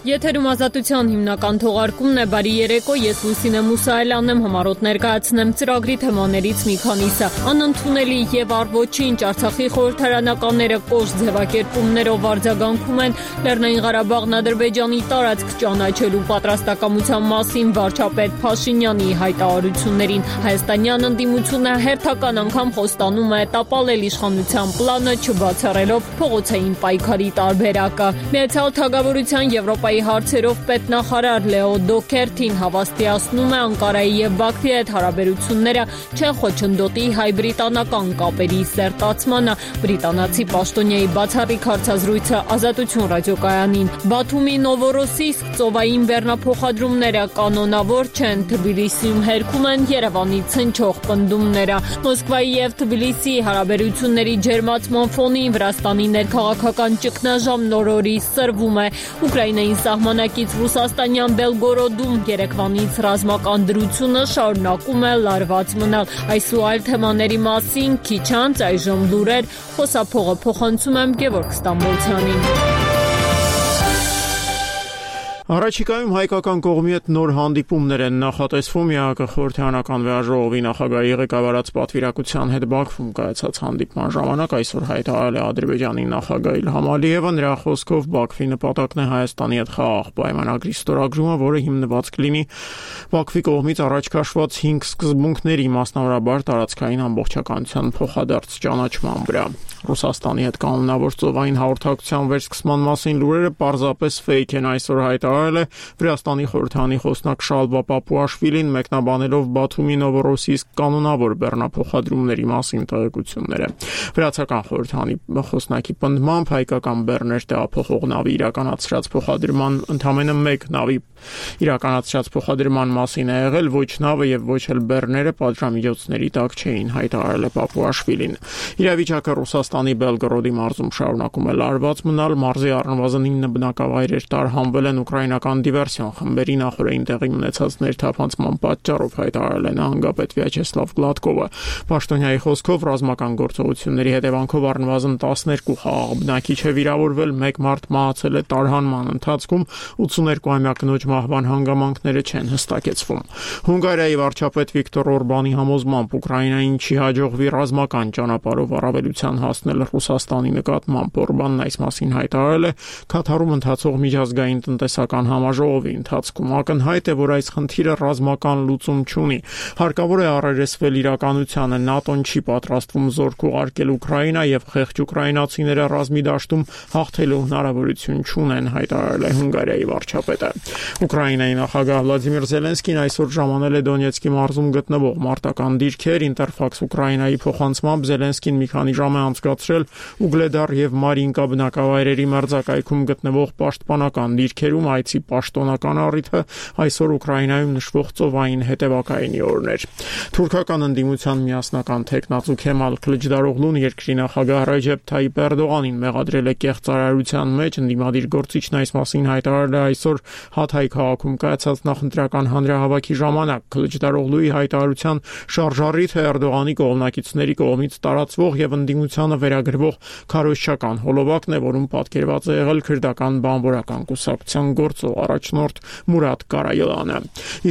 Եթերում ազատության հիմնական թողարկումն է, բարի երեկո, ես Լուսինե Մուսայելյանն եմ, համառոտ ներկայացնեմ ծրագրի թեմաներից մի քանիսը։ Անընդունելի եւ առ-ոչինչ, Արցախի խորհրդարանականները կոշտ ձևակերպումներով արձագանքում են Լեռնային Ղարաբաղն Ադրբեջանի տարածք ճանաչելու պատրաստակամության մասին վարչապետ Փաշինյանի հայտարարություններին։ Հայաստանյան ընդդիմությունը հերթական անգամ խոստանում է տապալել իշխանության պլանը, չբացառելով փողոցային պայքարի տարբերակը։ Միացյալ Թագավորության Եվրոպայի հարցերով պետնախարար Լեո Դոքերթին հավաստիացնում է Անկարայի եւ Բաքվի հետ հարաբերությունները չեն խոչընդոտի հայ-բրիտանական կապերի սերտացմանը։ Բրիտանացի պաշտոնյայի բացառիկ հարցազրույցը Ազատություն ռադիոկայանին։ Բաթումի Նովորոսիսկ ծովային բեռնափոխադրումները կանոնավոր չեն, Թբիլիսիում հերքում են Երևանի ցնչող պնդումները։ Մոսկվայի եւ Թբիլիսիի հարաբերությունների ջերմացման ֆոնին Վրաստանի ներքաղաքական ճգնաժամ նոր-օրի սրվում է։ Ուկրաինային սահմանակից Ռուսաստանյան Բելգորոդում երեկվանից ռազմական դրությունը շարունակում է լարված մնալ։ Այս ու այլ թեմաների մասին քիչ անց այժմ լուրեր, խոսափողը փոխանցում եմ Գևորգ Ստամբոլցյանին։ Առաջիկայում հայկական կողմի հետ նոր հանդիպումներ են նախատեսվում ԵԱՀԿ խորհրդարանական վեաժողովի նախագահի ղեկավարած պատվիրակության հետ Բաքվում կայացած հանդիպման ժամանակ այսօր հայտարարել է Ադրբեջանի նախագահ Իլհամ Ալիևը, նրա խոսքով Բաքվի նպատակն է Հայաստանի հետ խաղաղ պայմանագրի ստորագրումը, որը հիմնված կլինի Բաքվի կողմից առաջ քաշված 5 սկզբունքների, մասնավորաբար տարածքային ամբողջականության փոխադարձ ճանաչման վրա։ Ռուսաստանի հետ կանոնավոր ծովային հաղորդակցության վերսկսման մասին լուրերը պարզապես ֆեյք են, այսօր հայտարարել է Վրաստանի խորհրդարանի խոսնակ Շալվա Պապուաշվիլին, մեկնաբանելով Բաթումի Նովորոսիսկ կանոնավոր բեռնափոխադրումների մասին տեղեկությունները։ Վրացական խորհրդարանի խոսնակի պնդմամբ հայկական բեռներ տեղափոխող նավի իրականացրած փոխադրման ընդամենը մեկ նավի իրականացրած փոխադրման մասին է եղել, ոչ նավը եւ ոչ էլ բեռները պատժամիջոցների տակ չէին, հայտարարել է Պապուաշվիլին։ Իրավիճակը Ռուսաստանի Բելգորոդի մարզում շարունակում է լարված մնալ, մարզի առնվազն 9 բնակավայրեր տարհանվել են ուկրաինական դիվերսիոն խմբերի նախորդին տեղի ունեցած ներթափանցման պատճառով, հայտարարել է նահանգապետ Վյաչեսլավ Գլադկովը։ Պաշտոնյայի խոսքով ռազմական գործողությունների հետևանքով առնվազն 12 խաղաղ բնակիչ է վիրավորվել, 1 մարդ մահացել է տարհանման ընթացքում, 82-ամյա կնոջ մահվան հանգամանքները չեն հստակեցվում։ Հունգարիայի վարչապետ Վիկտոր Օրբանի համոզմամբ Ուկրաինային չի հաջողվի ռազմական ճանապարհով առավելության հասնել Ռուսաստանի նկատմամբ։ Օրբանն այս մասին հայտարարել է Քաթարում ընթացող միջազգային տնտեսական համաժողովի ընթացքում։ Ակնհայտ է, որ այս խնդիրը ռազմական լուծում չունի։ Հարկավոր է առերեսվել իրականությանը, ՆԱՏՕ-ն չի պատրաստվում զորք ուղարկել Ուկրաինա եւ խեղճ ուկրաինացիները ռազմի դաշտում հաղթելու հնարավորություն չունեն, հայտարարել է Հունգարիայի վարչապետը։ Ուկրաինայի նախագահ Վլադիմիր Զելենսկին այսօր ժամանել է Դոնեցկի մարզում գտնվող մարտական դիրքեր։ Ինտերֆաքս Ուկրաինայի փոխանցմամբ Զելենսկին մի քանի ժամ է անցկացրել Ուգլեդար եւ Մարինկա բնակավայրերի մերձակայքում գտնվող պաշտպանական դիրքերում, այցի պաշտոնական առիթը այսօր Ուկրաինայում նշվող ծովային հետևակայինի օրն էր։ Թուրքական ընդդիմության միասնական թեկնածու Քեմալ Քլիչդարօղլուն երկրի նախագահ Ռեջեփ Թայիպ Էրդողանին մեղադրել է կեղծարարության մեջ, ընդդիմադիր գործիչն այս մասին հայտարարել է այսօր Հաթայ քաղաքում կայացած նախընտրական հանրահավաքի ժամանակ։ Քլիչդարօղլուի հայտարարության շարժառիթը Էրդողանի կողմնակիցների կողմից տարածվող եւ ընդդիմությանը վերագրվող քարոզչական հոլովակն է, որում պատկերված է եղել քրդական բանվորական կուսակցության գործող առաջնորդ Մուրադ Կարայելանը։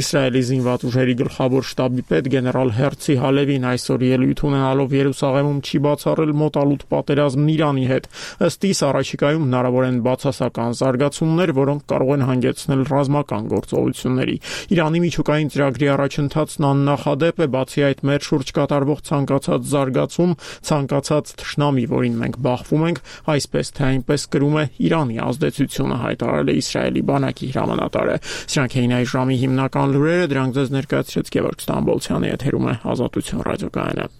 Իսրայելի զինված ուժերի գլխավոր շտաբի պետ գեներալ Հերցի Հալևին այսօր ելույթ ունենալով Երուսաղեմում չի բացառել մոտալուտ պատերազմն Իրանի հետ։ Ըստ իս առաջիկայում հնարավոր են բացասական զարգացումներ, որոնք կարող են հանգեցնել ռազմական գործողությունների։ Իրանի միջուկային ծրագրի առաջընթացն աննախադեպ է, բացի այդ մեր շուրջ կատարվող ցանկացած զարգացում, ցանկացած թշնամի, որին մենք բախվում ենք, այսպես թե այնպես կրում է Իրանի ազդեցությունը, հայտարարել է Իսրայելի բանակի հրամանատարը։ Սրանք էին այս ժամի հիմնական լուրերը, դրանք ձեզ ներկայացրեց Գևորգ Ստամբոլցյանը, եթերում է Ազատություն ռադիոկայանը։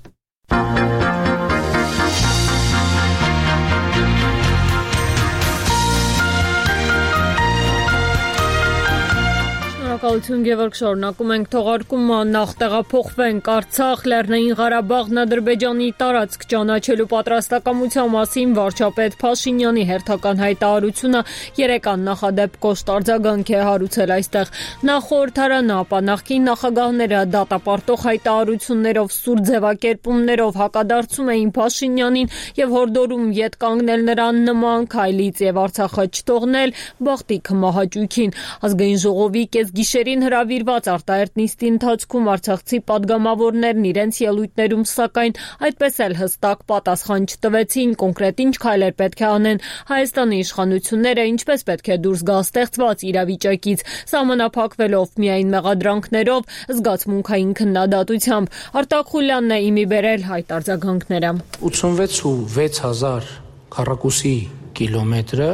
Շնորհակալություն Գևորգ, շարունակում ենք թողարկումը, նախ տեղափոխվենք Արցախ, Լեռնային Ղարաբաղն Ադրբեջանի տարածք ճանաչելու պատրաստակամության մասին վարչապետ Փաշինյանի հերթական հայտարարությունը երեկան նախադեպ կոշտ արձագանք է հարուցել այստեղ։ Նախ խորհրդարանը, ապա նախկին նախագահները դատապարտող հայտարարություններով, սուր ձևակերպումներով հակադարձում էին Փաշինյանին եւ հորդորում ետ կանգնել նրան նման քայլից եւ Արցախը չթողնել բախտի մահաճույքին։ Ազգային ժողովի կեսգիշերին հրավիրված արտահերտ նիստի ընթացքում արցախցի պատգամավորներն իրենց ելույթներում սակայն այդպես էլ հստակ պատասխան չտվեցին կոնկրետ ինչ քայլեր պետք է անեն Հայաստանի իշխանությունները, ինչպես պետք է դուրս գա ստեղծված իրավիճակից, սահմանափակվելով միայն մեղադրանքներով, զգացմունքային քննադատությամբ։ Արտակ Խուլյանն է իմի բերել հայտ արձագանքները։ 86,600 քառակուսի կիլոմետրը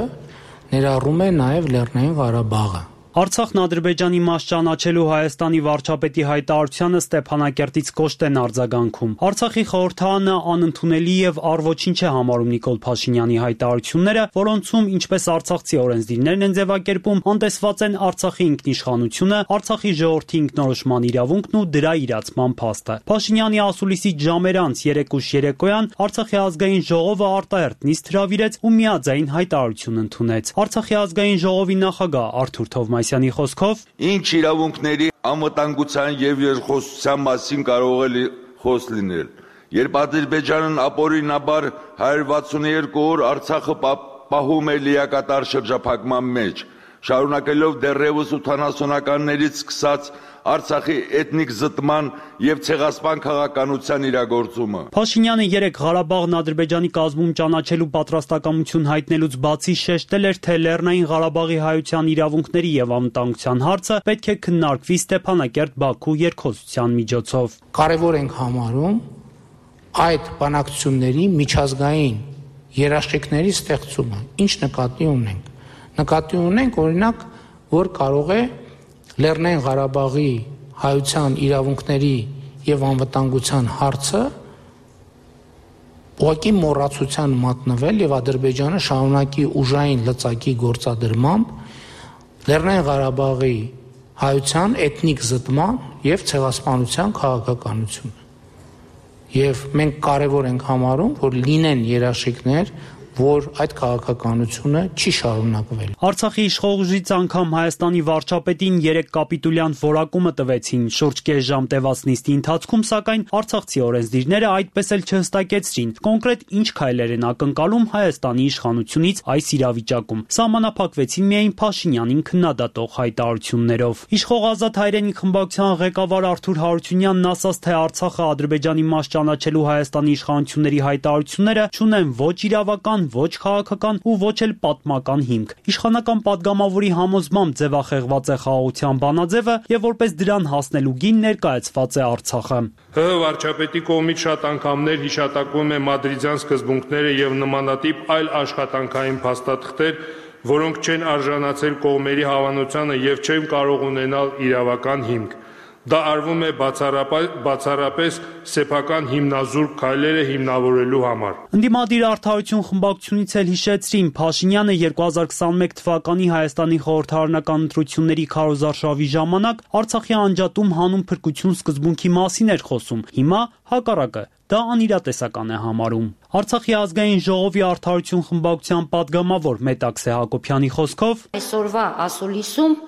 ներառում է նաև Լեռնային Ղարաբաղը։ Արցախն Ադրբեջանի մաս ճանաչելու Հայաստանի վարչապետի հայտարարությանը Ստեփանակերտից կոշտ են արձագանքում։ Արցախի խորհրդարանը անընդունելի եւ առ-ոչինչ է համարում Նիկոլ Փաշինյանի հայտարարությունները, որոնցում ինչպես արցախցի օրենսդիրներն են ձևակերպում, անտեսված են Արցախի ինքնիշխանությունը, Արցախի ժողովրդի ինքնորոշման իրավունքն ու դրա իրացման փաստը։ Փաշինյանի ասուլիսից ժամեր անց երեկուշ երեկոյան Արցախի ազգային ժողովը արտահերտ նիստ հրավիրեց ու միաձայն հայտարարություն ընդունեց։ Արցախի ազգային ժողովի նախագահ Արթուր Թովմասյանի խոսքով ինչ իրավունքների անվտանգության եւ երկխոսության մասին կարող է խոս լինել, երբ Ադրբեջանն ապօրինաբար 162 օր Արցախը պահում է լիակատար շրջափակման մեջ, շարունակելով դեռևս 80-ականներից սկսած Արցախի էթնիկ զտման եւ ցեղասպան քաղաքականության իրագործումը։ Փաշինյանը երեք Ղարաբաղն Ադրբեջանի կազմում ճանաչելու պատրաստակամություն հայտնելուց բացի շեշտել էր, թե Լեռնային Ղարաբաղի հայության իրավունքների եւ անվտանգության հարցը պետք է քննարկվի Ստեփանակերտ-Բաքու երկխոսության միջոցով։ Կարևոր ենք համարում այդ բանակցությունների միջազգային երաշխիքների ստեղծումը։ Ինչ նկատի ունենք։ Նկատի ունենք օրինակ, որ կարող է Լեռնային Ղարաբաղի հայության իրավունքների եւ անվտանգության հարցը ուղղակի մոռացության մատնվել եւ Ադրբեջանը շարունակի ուժային լծակի գործադրմամբ Լեռնային Ղարաբաղի հայության էթնիկ զտման եւ ցեղասպանության քաղաքականությունը։ Եվ մենք կարևոր ենք համարում, որ լինեն երաշխիքներ, որ այդ քաղաքականությունը չի շարունակվել։ Արցախի իշխողուժից անգամ Հայաստանի վարչապետին 3 կապիտուլյան որակումը տվեցին շուրջ կես ժամ տևած նիստի ընթացքում, սակայն արցախցի օրենսդիրները այդպես էլ չհստակեցրին կոնկրետ ինչ քայլեր են ակնկալում Հայաստանի իշխանությունից այս իրավիճակում։ Սահմանափակվեցին միայն Փաշինյանին քննադատող հայտարարություններով։ Իշխող Ազատ հայրենիք խմբակցության ղեկավար Արթուր Հարությունյանն ասաց, թե Արցախը Ադրբեջանի մաս ճանաչելու Հայաստանի իշխանությունների հայտարարությունները չունեն ոչ իրավական, ոչ քաղաքական ու ոչ էլ պատմական հիմք։ Իշխանական պատգամավորի համոզմամբ ձևախեղված է խաղաղության բանաձևը եւ որպես դրան հասնելու գին ներկայացված է Արցախը։ ՀՀ վարչապետի կողմից շատ անգամներ հիշատակվում է մադրիդյան սկզբունքները եւ նմանատիպ այլ աշխատանքային փաստաթղթեր, որոնք չեն արժանացել կողմերի հավանությանը եւ չեն կարող ունենալ իրավական հիմք։ Դա արվում է բացառապես սեփական հիմնազուրկ քայլերը հիմնավորելու համար։ Ընդդիմադիր Արդարություն խմբակցությունից էլ հիշեցրին, Փաշինյանը 2021 թվականի Հայաստանի խորհրդարանական ընտրությունների քարոզարշավի ժամանակ Արցախի անջատում հանուն փրկություն սկզբունքի մասին էր խոսում։ Հիմա հակառակը, դա անիրատեսական է համարում։ Արցախի ազգային ժողովի Արդարություն խմբակցության պատգամավոր Մետաքսե Հակոբյանի խոսքով այսօրվա ասուլիսում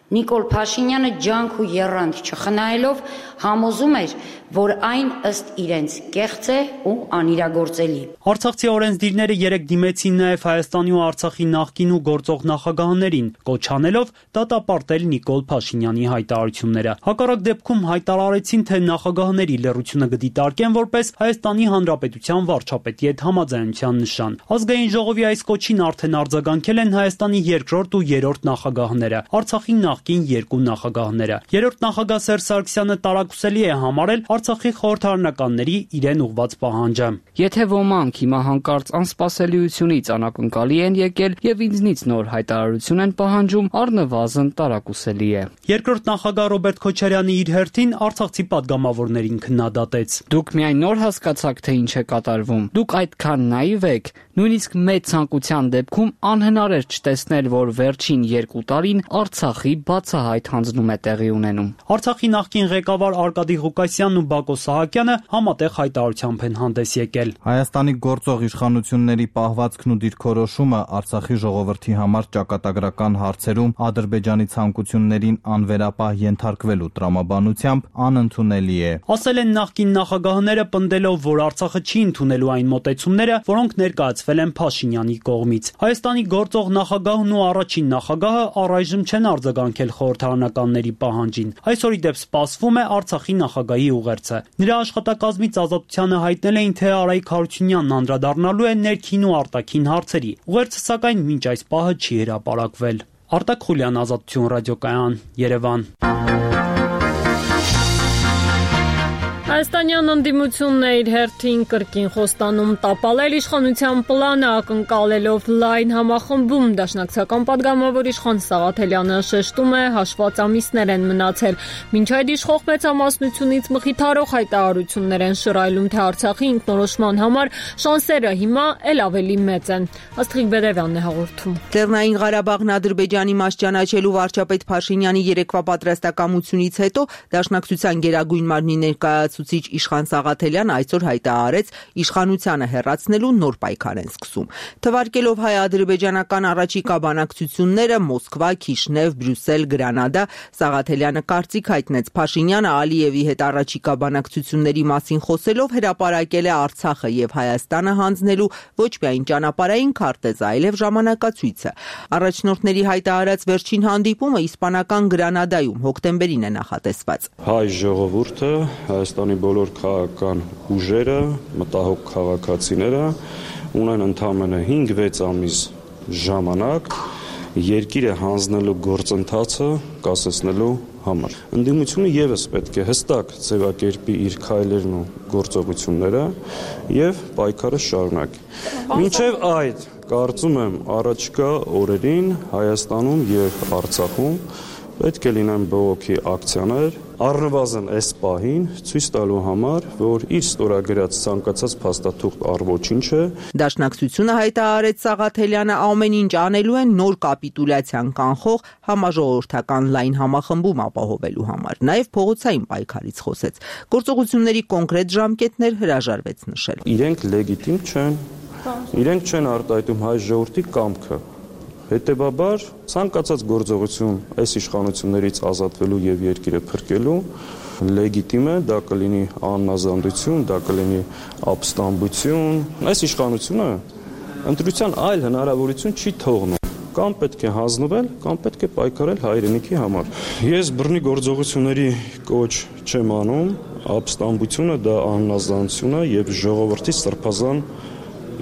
Նիկոլ Փաշինյանը ջանք ու եռանդ չխնայելով համոզում էր, որ այն ըստ իրենց կեղծ է ու անիրագործելի։ Արցախցի օրենսդիրները երեք դիմեցին նաև Հայաստանի ու Արցախի նախկին ու գործող նախագահներին, կոչ անելով դատապարտել Նիկոլ Փաշինյանի հայտարարությունները։ Հակառակ դեպքում հայտարարեցին, թե նախագահների լռությունը կդիտարկեն որպես Հայաստանի Հանրապետության վարչապետի հետ համաձայնության նշան։ Ազգային ժողովի այս կոչին արդեն արձագանքել են Հայաստանի երկրորդ ու երրորդ նախագահները, Արցախի նախկին երկու նախագահները։ Երրորդ նախագահ Սերժ Սարգսյանը տարակուսելի է համարել Արցախի խորհրդարանականների իրեն ուղված պահանջը։ Եթե ոմանք հիմա հանկարծ անսպասելիությունից անակնկալի են եկել եւ ինձնից նոր հայտարարություն են պահանջում, առնվազն տարակուսելի է։ Երկրորդ նախագահ Ռոբերտ Քոչարյանը իր հերթին արցախցի պատգամավորներին քննադատեց։ Դուք միայն նոր հասկացաք, թե ինչ է կատարվում։ Դուք այդքան նաիվ եք, նույնիսկ մեծ ցանկության դեպքում անհնար էր չտեսնել, որ վերջին 2 տարին Արցախի բացահայտ հանձնում է տեղի ունենում։ Արցախի նախկին ղեկավար Արկադի Ղուկասյանն ու Բակո Սահակյանը համատեղ հայտարարությամբ են հանդես եկել։ Հայաստանի գործող իշխանությունների պահվածքն ու դիրքորոշումը Արցախի ժողովրդի համար ճակատագրական հարցերում Ադրբեջանի ցանկություններին անվերապահ ենթարկվելու տրամաբանությամբ անընդունելի է։ Ասել են նախկին նախագահները, պնդելով, որ Արցախը չի ընդունելու այն մոտեցումները, որոնք ներկայացվել են Փաշինյանի կողմից։ Հայաստանի գործող նախագահն ու առաջին նախագահը առայժմ չեն արձագանքել խորհրդարանականների պահանջին։ Այսօր ի դեպ սպասվում է Արցախի նախագահի ուղերձը։ Նրա աշխատակազմից Ազատությանը հայտնել էին, թե Արայիկ Հարությունյանն անդրադառնալու է ներքին ու արտաքին հարցերի։ Ուղերձը սակայն մինչ այս պահը չի հրապարակվել։ Արտակ Խուլյան, Ազատություն ռադիոկայան, Երևան։ Հայաստանյան ընդդիմությունն է իր հերթին կրկին խոստանում տապալել իշխանության պլանը, ակնկալելով լայն համախմբում։ Դաշնակցական պատգամավոր Իշխան Սաղաթելյանը շեշտում է, հաշված ամիսներ են մնացել։ Մինչ այդ իշխող մեծամասնությունից մխիթարող հայտարարություններ են շռայլում, թե Արցախի ինքնորոշման համար շանսերը հիմա էլ ավելի մեծ են։ Աստղիկ Բերևյանն է հաղորդում։ Լեռնային Ղարաբաղն Ադրբեջանի մաս ճանաչելու վարչապետ Փաշինյանի երեկվա պատրաստակամությունից հետո Դաշնակցության գերագույն մարմնի ներկայացուցիչ Իշխան Սաղաթելյանը այսօր հայտարարեց, իշխանությանը հեռացնելու նոր պայքար են սկսում։ Թվարկելով հայ-ադրբեջանական առաջիկա բանակցությունները Մոսկվա, Քիշնև, Բրյուսել, Գրանադա, Սաղաթելյանը կարծիք հայտնեց Փաշինյանը Ալիևի հետ առաջիկա բանակցությունների մասին խոսելով հրապարակել է Արցախը եւ Հայաստանը հանձնելու ոչ միայն ճանապարհային քարտեզ, այլև ժամանակացույցը։ Առաջնորդների հայտարարած վերջին հանդիպումը իսպանական Գրանադայում հոկտեմբերին է նախատեսված։ Հայ ժողովուրդը, Հայաստանի բոլոր քաղաքական ուժերը, մտահոգ քաղաքացիները ունեն ընդամենը 5-6 ամիս ժամանակ երկիրը հանձնելու գործընթացը կասեցնելու համար։ Ընդդիմությունը եւս պետք է հստակ ձևակերպի իր քայլերն ու գործողությունները եւ պայքարը շարունակի։ Մինչեւ այդ կարծում եմ առաջիկա օրերին Հայաստանում եւ Արցախում պետք է լինեն բողոքի ակցիաներ, առնվազն այս պահին ցույց տալու համար, որ իր ստորագրած ցանկացած փաստաթուղթ առ-ոչինչ է։ Դաշնակցությունը հայտարարեց Սաղաթելյանը ամեն ինչ անելու են նոր կապիտուլյացիան կանխող համաժողովրդական լայն համախմբում ապահովելու համար։ Նաև փողոցային պայքարից խոսեց։ Գործողությունների կոնկրետ ժամկետներ հրաժարվեց նշել։ Իրենք լեգիտիմ չեն, իրենք չեն արտահայտում հայ ժողովրդի կամքը։ Հետևաբար ցանկացած գործողություն այս իշխանություններից ազատվելու եւ երկիրը փրկելու լեգիտիմ է, դա կլինի աննազանդություն, դա կլինի ապստամբություն։ Այս իշխանությունը ընտրության այլ հնարավորություն չի թողնում։ Կամ պետք է հանձնվել, կամ պետք է պայքարել հայրենիքի համար։ Ես բռնի գործողությունների կոչ չեմ անում, ապստամբությունը դա աննազանդություն է եւ ժողովրդի սրբազան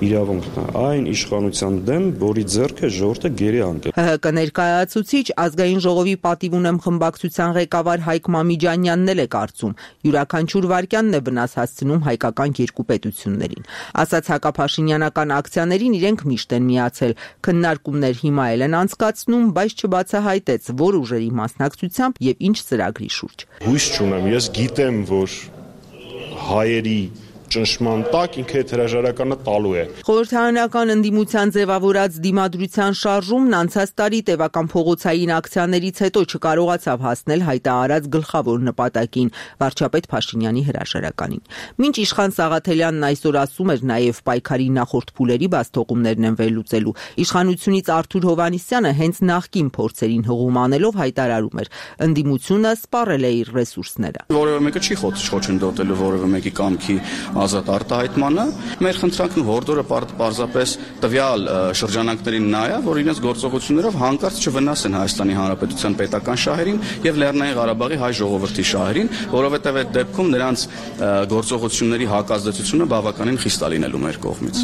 իրավունքն է այն իշխանության դեմ, որի ձեռքը ժողովուրդը գերի անկել։ ՀՀԿ ներկայացուցիչ ազգային ժողովի պատիվ ունեմ խմբակցության ղեկավար Հայկ Մամիջանյանն էլ է կարծում, յուրաքանչյուր վարքյանն է վնաս հասցնում հայկական երկու պետություններին։ Ասաց հակափաշինյանական ակցիաներին իրենք միշտ են միացել, քննարկումներ հիմա էլ են անցկացնում, բայց չբացահայտեց որ ուժերի մասնակցությամբ եւ ինչ ծրագրի շուրջ։ Հույս չունեմ, ես գիտեմ, որ հայերի ճնշման տակ ինքը այդ հրաժարականը տալու է։ Խորհրդարանական ընդդիմության ձևավորած դիմադրության շարժումն անցած տարի տևական փողոցային ակցիաներից հետո չկարողացավ հասնել հայտարարած գլխավոր նպատակին՝ վարչապետ Փաշինյանի հրաժարականին։ Մինչ Իշխան Սաղաթելյանն այսօր ասում էր նաև պայքարի նախորդ փուլերի բացթողումներն են վերլուծելու, իշխանությունից Արթուր Հովհաննիսյանը հենց նախկին փորձերին հղում անելով հայտարարում էր՝ ընդդիմությունը սպառել է իր ռեսուրսները։ Որևէ մեկը չի խոչընդոտելու որևէ մեկի կամքի ազատ արտահայտմանը, մեր խնդրանքն ու հորդորը պարզապես տվյալ շրջանակներին նա է, որ իրենց գործողություններով հանկարծ չվնասեն Հայաստանի Հանրապետության պետական շահերին եւ Լեռնային Ղարաբաղի հայ ժողովրդի շահերին, որովհետեւ այդ դեպքում նրանց գործողությունների հակազդեցությունը բավականին խիստ է լինելու մեր կողմից։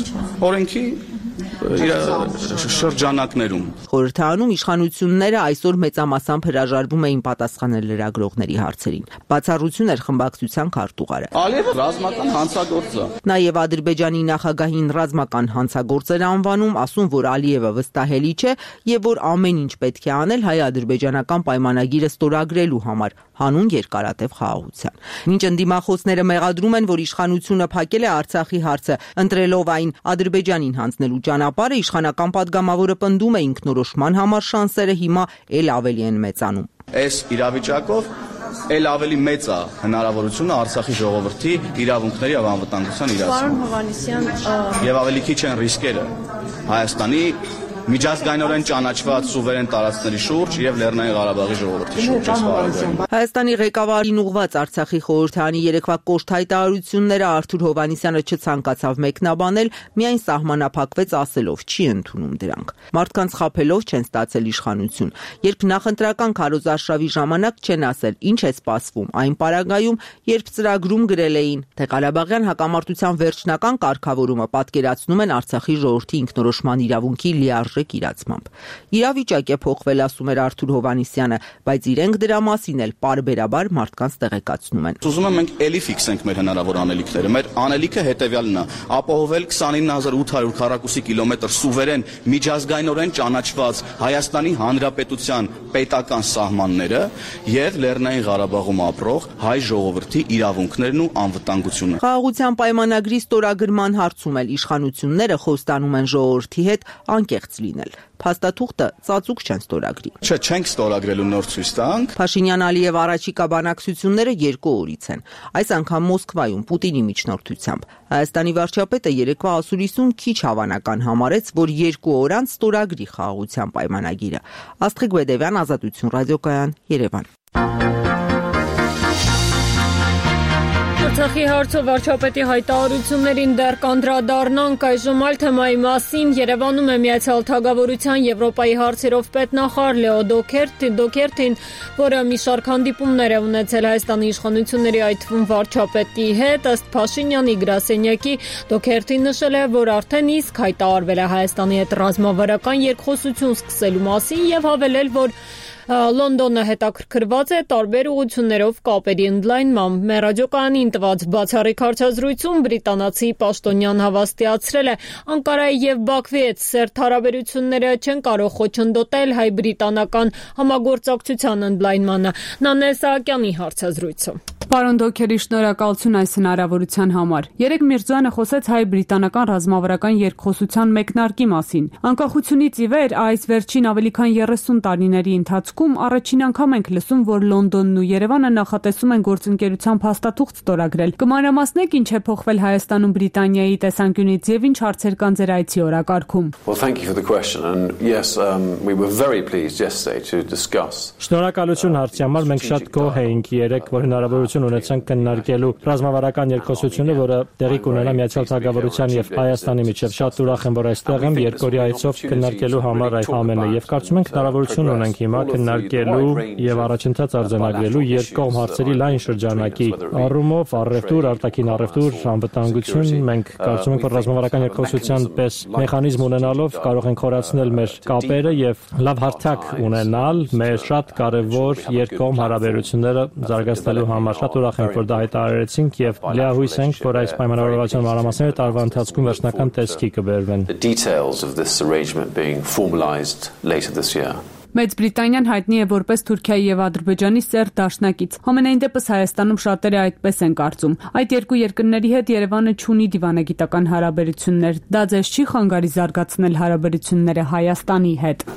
Օրենքի շրջանակներում Խորհրդարանում իշխանությունները այսօր մեծամասամբ հրաժարվում էին պատասխանել լրագրողների հարցերին։ Բացառություն էր խմբակցության քարտուղարը։ Ալիևը ռազմական հանցագործ է։ Նաև Ադրբեջանի նախագահին ռազմական հանցագործ էր անվանում, ասում, որ Ալիևը վստահելի չէ եւ որ ամեն ինչ պետք է անել հայ-ադրբեջանական պայմանագիրը ստորագրելու համար, հանուն երկարատև խաղաղության։ Մինչ ընդդիմախոսները մեղադրում են, որ իշխանությունը փակել է Արցախի հարցը, ընտրելով այն Ադրբեջանին հանձնելու ճանապարհը, իշխանական падգամավորը պնդում է ինքնորոշման համար շանսերը հիմա էլ ավելի են մեծանում։ Այս իրավիճակով էլ ավելի մեծ է հնարավորությունը Արցախի ժողովրդի իրավունքների եւ անվտանգության իրացման։ Եվ ավելի քիչ են ռիսկերը Հայաստանի միջազգայինորեն ճանաչված սուվերեն տարածքների շուրջ եւ Լեռնային Ղարաբաղի ժողովրդի շուրջ ասպարեզում։ Հայաստանի ղեկավարին ուղղված Արցախի խորհրդարանի երեկվա կոշտ հայտարարությունները Արթուր Հովհաննիսյանը չցանկացավ մեկնաբանել, միայն սահմանափակվեց ասելով՝ չի ընդունում դրանք։ Մարդկանց խաբելով չեն ստացել իշխանություն։ Երբ նախընտրական քարոզարշավի ժամանակ չեն ասել ինչ է սպասվում, այն պարագայում, երբ ծրագրում գրել էին, թե Ղարաբաղյան հակամարտության վերջնական կարգավորումը պատկերացնում են Արցախի ժողովրդի ինքնորոշման իրավունքի լիարժեք իրացմամբ։ Իրավիճակ է փոխվել, ասում էր Արթուր Հովհաննիսյանը, բայց իրենք դրա մասին էլ պարբերաբար մարդկանց տեղեկացնում են։ Ուզում եմ մենք էլի ֆիքսենք մեր հնարավոր անելիքները։ Մեր անելիքը հետևյալն է՝ ապահովել 29800 քառակուսի կիլոմետր սուվերեն միջազգայինորեն ճանաչված Հայաստանի Հանրապետության պետական սահմանները եւ Լեռնային Ղարաբաղում ապրող հայ ժողովրդի իրավունքներն ու անվտանգությունը։ Խաղաղության պայմանագրի ստորագրման հարցում էլ իշխանությունները խոստանում են ժողովրդի հետ անկեղծ լինել։ Փաստաթուղթը ծածուկ չեն ստորագրի։ Չենք ստորագրելու նոր ցույց տանք։ Փաշինյան-Ալիև առաջիկա բանակցությունները 2 օրից են։ Այս անգամ Մոսկվայում Պուտինի միջնորդությամբ։ Հայաստանի վարչապետը երեկվա ասուլիսում քիչ հավանական համարեց, որ 2 օր անց ստորագրի խաղաղության պայմանագիրը։ Աստղիկ Բեդևյան, Ազատություն ռադիոկայան, Երևան։ Արցախի հարցով վարչապետի հայտարարություններին դեռ կանդրադառնանք այժմ այլ թեմայի մասին։ Երևանում է Միացյալ Թագավորության Եվրոպայի հարցերով պետնախարար Լեո Դոքերթին, որը մի շարք հանդիպումներ է ունեցել Հայաստանի իշխանությունների, այդ թվում վարչապետի հետ։ Ըստ Փաշինյանի գրասենյակի, Դոքերթին նշել է, որ արդեն իսկ հայտարարվել է Հայաստանի հետ ռազմավարական երկխոսություն սկսելու մասին եւ հավելել, որ Լոնդոնը հետաքրքրված է տարբեր ուղղություններով կապերի ընդլայնմամբ։ Մեր ռադիոկայանին տված բացառիկ հարցազրույցում բրիտանացի պաշտոնյան հավաստիացրել է, Անկարայի եւ Բաքվի հետ սերտ հարաբերությունները չեն կարող խոչընդոտել հայ-բրիտանական համագործակցության ընդլայնմանը։ Նանե Սահակյանի հարցազրույցը։ Պարոն Դոքերի, շնորհակալություն այս հնարավորության համար։ Երեկ Միրզոյանը խոսեց հայ-բրիտանական ռազմավարական երկխոսության մեկնարկի մասին։ Անկախությունից ի վեր այս վերջին ավելի քան 30 տարիների ընթացքում առաջին անգամ ենք լսում, որ Լոնդոնն ու Երևանը նախատեսում են գործընկերության փաստաթուղթ ստորագրել։ Կմանրամասնեք ինչ է փոխվել Հայաստանում Բրիտանիայի տեսանկյունից եւ ինչ հարցեր կան ձեր այցի օրակարգում։ Շնորհակալություն հարցի համար, մենք շատ գոհ էինք երեկ, որ հնարավորություն ունեցանք քննարկելու ռազմավարական երկխոսությունը, որը տեղի կունենա Միացյալ Թագավորության եւ Հայաստանի միջեւ։ Շատ ուրախ եմ, որ այստեղ եմ երկօրյա այցով քննարկելու համար այդ ամենը եւ կարծում ենք հնարավորություն ունենք հիմա քննարկելու եւ առաջընթաց արձանագրելու երկկողմ հարցերի լայն շրջանակի առումով առևտուր, արտաքին առևտուր, անվտանգություն։ Մենք կարծում ենք, որ ռազմավարական երկխոսության պես մեխանիզմ ունենալով կարող ենք խորացնել մեր կապերը եւ լավ հարթակ ունենալ մեր շատ կարեւոր երկկողմ հարաբերությունները զարգացնելու համար։ Շատ ուրախ ենք, որ դա հայտարարեցինք եւ լիահույս ենք, որ այս պայմանավորվածության մանրամասները տարվա ընթացքում վերջնական տեսքի կբերվեն։ Մեծ Բրիտանիան հայտնի է որպես Թուրքիայի եւ Ադրբեջանի սերտ դաշնակից։ Համենայն դեպս Հայաստանում շատերը այդպես են կարծում։ Այդ երկու երկրների հետ Երևանը չունի դիվանագիտական հարաբերություններ։ Դա ձեզ չի խանգարի զարգացնել հարաբերությունները Հայաստանի հետ։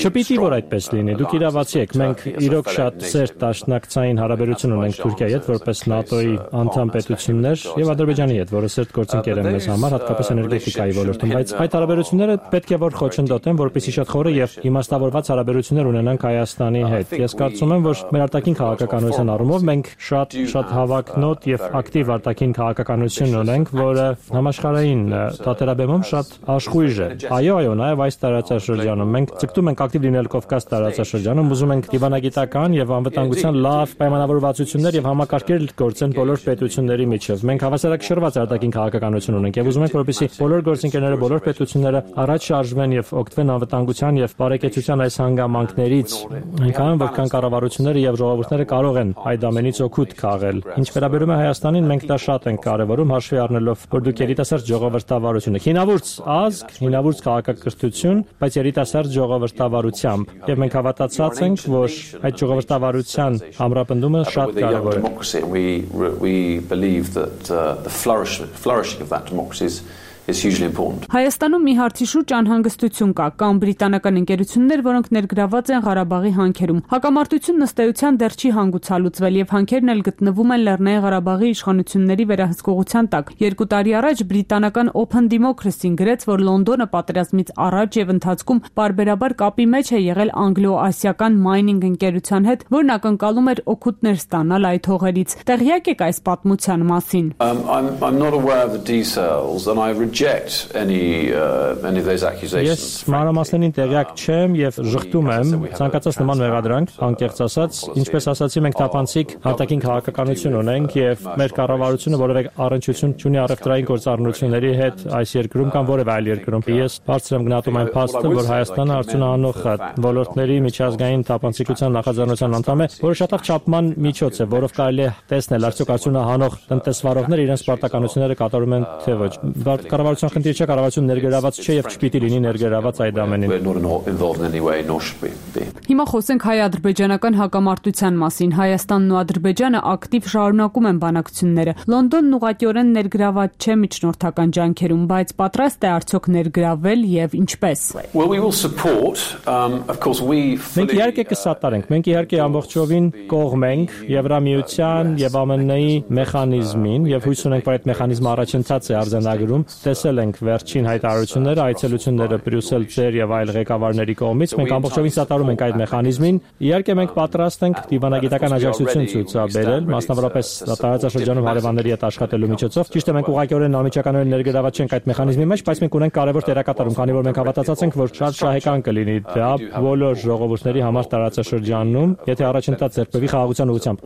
Չպիտի որ այդպես լինի։ Դուք իրավացի եք։ Մենք իրոք շատ սերտ դաշնակցային հարաբերություն ունենք Թուրքիայի հետ որպես ՆԱՏՕ-ի անդամ պետություններ եւ Ադրբեջանի հետ, որը սերտ գործընկեր է մեզ համար, հատկապես էներգետիկայի ոլորտում, բայց այդ հարաբերությունները պետք է որ խոչընդոտեն, որպեսզի շատ խորը եւ իմաստավորված հարաբերություններ ունենանք Հայաստանի հետ։ Ես կարծում եմ, որ մեր արտաքին քաղաքականության առումով մենք շատ հավակնոտ եւ ակտիվ արտաքին քաղաքականություն ունենք, որը համաշխարհային թատերաբեմում շատ աշխույժ է։ Այո, նաեւ այս տարածաշրջանում մենք ցկտում ենք ակտիվ լինել Կովկաս տարածաշրջանում, ուզում ենք դիվանագիտական եւ անվտանգության լավ պայմանավորվածություններ եւ համակարգեր գործեն բոլոր պետությունների միջև։ Մենք հավասարակշռված արտաքին քաղաքականություն ունենք եւ ուզում ենք, որպեսզի բոլոր գործընկերները, բոլոր պետությունները առաջ շարժվեն եւ օգտվեն անվտանգության եւ բարեկեցության այս հանգամանքներից, այնքան որքան կառավարությունները եւ ժողովուրդները կարող են այդ ամենից օգուտ քաղել։ Ինչ վերաբերում է Հայաստանին, մենք դա շատ ենք կարևորում, հաշվի առնելով, որ դուք երիտասարդ ժողովրդ ժողովրդավարությունը։ Հինավուրց ազգ, հինավուրց քաղաքակրթություն, բայց երիտասարդ ժողովրդավարությամբ։ Եվ մենք հավատացած ենք, որ այդ ժողովրդավարության ամրապնդումը շատ կարևոր է։ We believe that the flourishing of that democracy is hugely important. Հայաստանում մի հարցի շուրջ անհանգստություն կա, կան բրիտանական ընկերություններ, որոնք ներգրաված են Ղարաբաղի հանքերում։ Հակամարտությունն ըստ էության դեռ չի հանգուցալուծվել եւ հանքերն էլ գտնվում են Լեռնային Ղարաբաղի իշխանությունների վերահսկողության տակ։ 2 տարի առաջ բրիտանական Open Democracy-ն գրեց, որ Լոնդոնը պատերազմից առաջ եւ ընթացքում պարբերաբար կապի մեջ է եղել անգլո-ասիական mining ընկերության հետ, որն ակնկալում էր օգուտներ ստանալ այդ հողերից։ Տեղյակ եք այս պատմության մասին։ I'm not aware of the details and I reject any of those accusations. Ես մանրամասներին տեղյակ չեմ եւ ժխտում եմ ցանկացած նման մեղադրանք, անկեղծ ասած, ինչպես ասացի, մենք թափանցիկ արտաքին քաղաքականություն ունենք եւ մեր կառավարությունը որևէ առնչություն չունի առևտրային գործառնությունների հետ այս երկրում կամ որևէ այլ երկրում։ Ես բարձր եմ գնահատում այն փաստը, որ Հայաստանը արդյունահանող ոլորտների միջազգային թափանցիկության նախաձեռնության անդամ է, որը շատ չափման միջոց է, որով կարելի է տեսնել արդյոք արդյունահանող տնտեսվարողները իրենց պարտականությունները կատարում են թե ոչ։ Կառավարության խնդիր չէ, կառավարությունը ներգրաված չէ եւ չպիտի լինի ներգրաված այդ ամենին։ Հիմա խոսենք հայ-ադրբեջանական հակամարտության մասին։ Հայաստանն ու Ադրբեջանը ակտիվ շարունակում են բանակցությունները։ Լոնդոնն ուղղակիորեն ներգրաված չէ միջնորդական ջանքերում, բայց պատրաստ է արդյոք ներգրավել եւ ինչպես։ Մենք իհարկե կսատարենք, մենք իհարկե ամբողջովին կողմ ենք Եվրամիության եւ ԱՄՆ-ի մեխանիզմին եւ հույս ունենք, որ այդ մեխանիզմը առաջընթաց է արձանագրում։ Տեսել ենք վերջին հայտարարությունները, այցելությունները Բրյուսել ձեր եւ այլ ղեկավարների կողմից։ Մենք ամբողջովին սատարում ենք այդ մեխանիզմին։ Իհարկե մենք պատրաստ ենք դիվանագիտական աջակցություն ցուցաբերել, մասնավորապես տարածաշրջանում հարևանների հետ աշխատելու միջոցով։ Ճիշտ է, մենք ուղղակիորեն անմիջականորեն ներգրաված չենք այդ մեխանիզմի մեջ, բայց մենք ունենք կարևոր դերակատարում, քանի որ մենք հավատացած ենք, որ շատ շահեկան կլինի դա բոլոր ժողովուրդների համար տարածաշրջանում, եթե առաջընթաց ձեռքբերվի խաղաղության ուղղությամբ։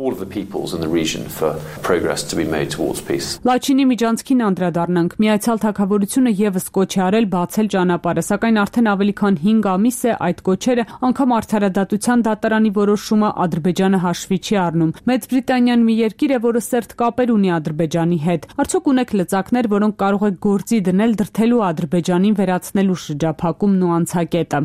Լաչինի միջանցքին անդրադառնանք։ Միացյալ Թագավորությունը եւս կոչ է արել բացել ճանապարհը, սակայն արդեն ավելի քան 5 ամիս է այդ կոչերը, անգամ արդարադատության դատարանի որոշումը Ադրբեջանը հաշվի չի առնում։ Մեծ Բրիտանիան մի երկիր է, որը սերտ կապեր ունի Ադրբեջանի հետ։ Արդյոք ունեք լծակներ, որոնք կարող եք գործի դնել դրթելու Ադրբեջանին վերացնելու շրջափակումն ու անցակետը։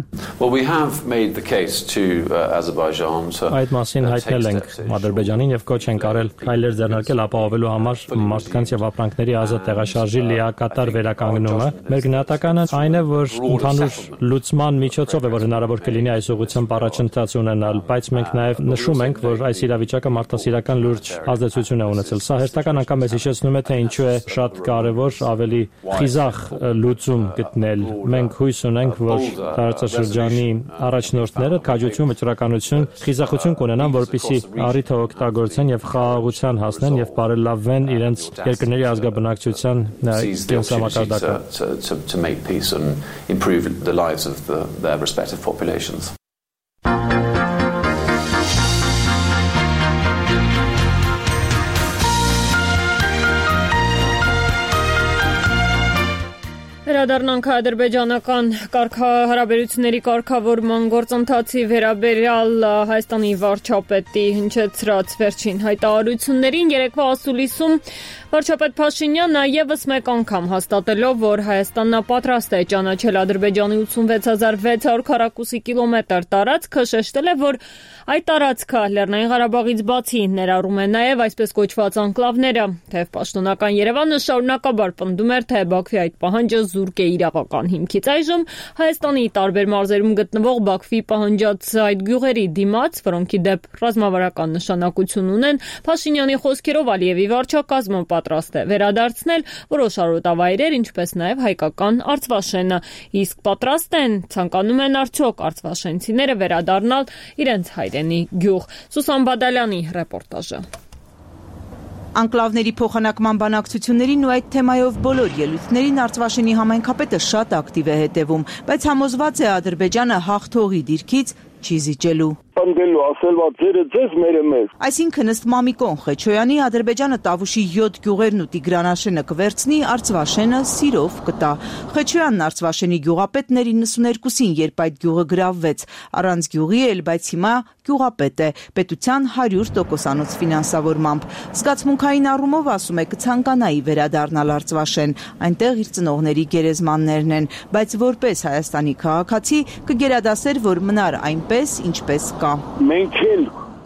Այդ մասին հայտնել ենք Ադրբեջանին եւ կոչ ենք արել քայլեր ձեռնարկել ապահովելու համար մարդկանց եւ ապրանքների ազատ տեղաշարժի լիակատար վերականգնումը։ Մեր գնահատականը այն է, որ ընդհանուր լուծման միջոցով է, որ հնարավոր կլինի այս ուղղությամբ առաջընթաց ունենալ, բայց մենք նաեւ նշում ենք, որ այս իրավիճակը մարդասիրական լուրջ ազդեցություն է ունեցել։ Սա հերթական անգամ մեզ հիշեցնում է, թե ինչու է շատ կարևոր ավելի խիզախ լուծում գտնել։ Մենք հույս ունենք, որ տարածաշրջանի առաջնորդները քաջություն, վճռականություն, խիզախություն կունենան, որպեսզի առիթը օգտագործեն եւ խաղաղության հասնեն եւ բարելավեն իրենց երկրների ազգաբնակչության to make peace and improve the lives of their respective populations. Վերադառնանք ադրբեջանական հարաբերությունների կարգավորման գործընթացի վերաբերյալ Հայաստանի վարչապետի հնչեցրած վերջին հայտարարություններին երեկվա ասուլիսում վարչապետ Փաշինյանը եւս մեկ անգամ հաստատելով, որ Հայաստանն պատրաստ է ճանաչել Ադրբեջանի 86600 քառակուսի կիլոմետր տարածքը, շեշտել է, որ այդ տարածքը Լեռնային Ղարաբաղից բացի ներառում է նաեւ այսպես կոչված անկլավները, թեև պաշտոնական Երևանը շարունակաբար պնդում էր, թե Բաքվի այդ պահանջը զուրկ է իրավական հիմքից։ Այժմ Հայաստանի տարբեր մարզերում գտնվող Բաքվի պահանջած այդ գյուղերի դիմաց, որոնք ի դեպ ռազմավարական նշանակություն ունեն, Փաշինյանի խոսքերով Ալիևի վարչակազմը պատրաստ է վերադարձնել որոշ արոտավայրեր, ինչպես նաև հայկական Արցվաշենը, իսկ պատրաստ են, ցանկանում են արդյոք արցվաշենցիները վերադառնալ իրենց հայրենի գյուղ։ Սուսան Բադալյանի ռեպորտաժը։ Անկլավների փոխանակման բանակցություններին ու այդ թեմայով բոլոր ելույթներին Արցվաշենի համայնքապետը շատ ակտիվ է հետևում, բայց համոզված է Ադրբեջանը հաղթողի դիրքից չի զիջելու։ պնդելու, ասելվա ձերը ձեզ, մերը մեզ։ Այսինքն ըստ Մամիկոն Խեչոյանի Ադրբեջանը Տավուշի 7 գյուղերն ու Տիգրանաշենը կվերցնի, Արցվաշենը սիրով կտա։ Խեչոյանն Արցվաշենի գյուղապետն էր 92-ին, երբ այդ գյուղը գրավվեց, առանց գյուղի էլ, բայց հիմա գյուղապետ է, պետության 100%-անոց ֆինանսավորմամբ։ Զգացմունքային առումով ասում է կցանկանայի վերադառնալ Արցվաշեն, այնտեղ իր ծնողների գերեզմաններն են, բայց որպես Հայաստանի քաղաքացի կգերադասեր, որ մնար այնպես, ինչպես կա։ Մենք էլ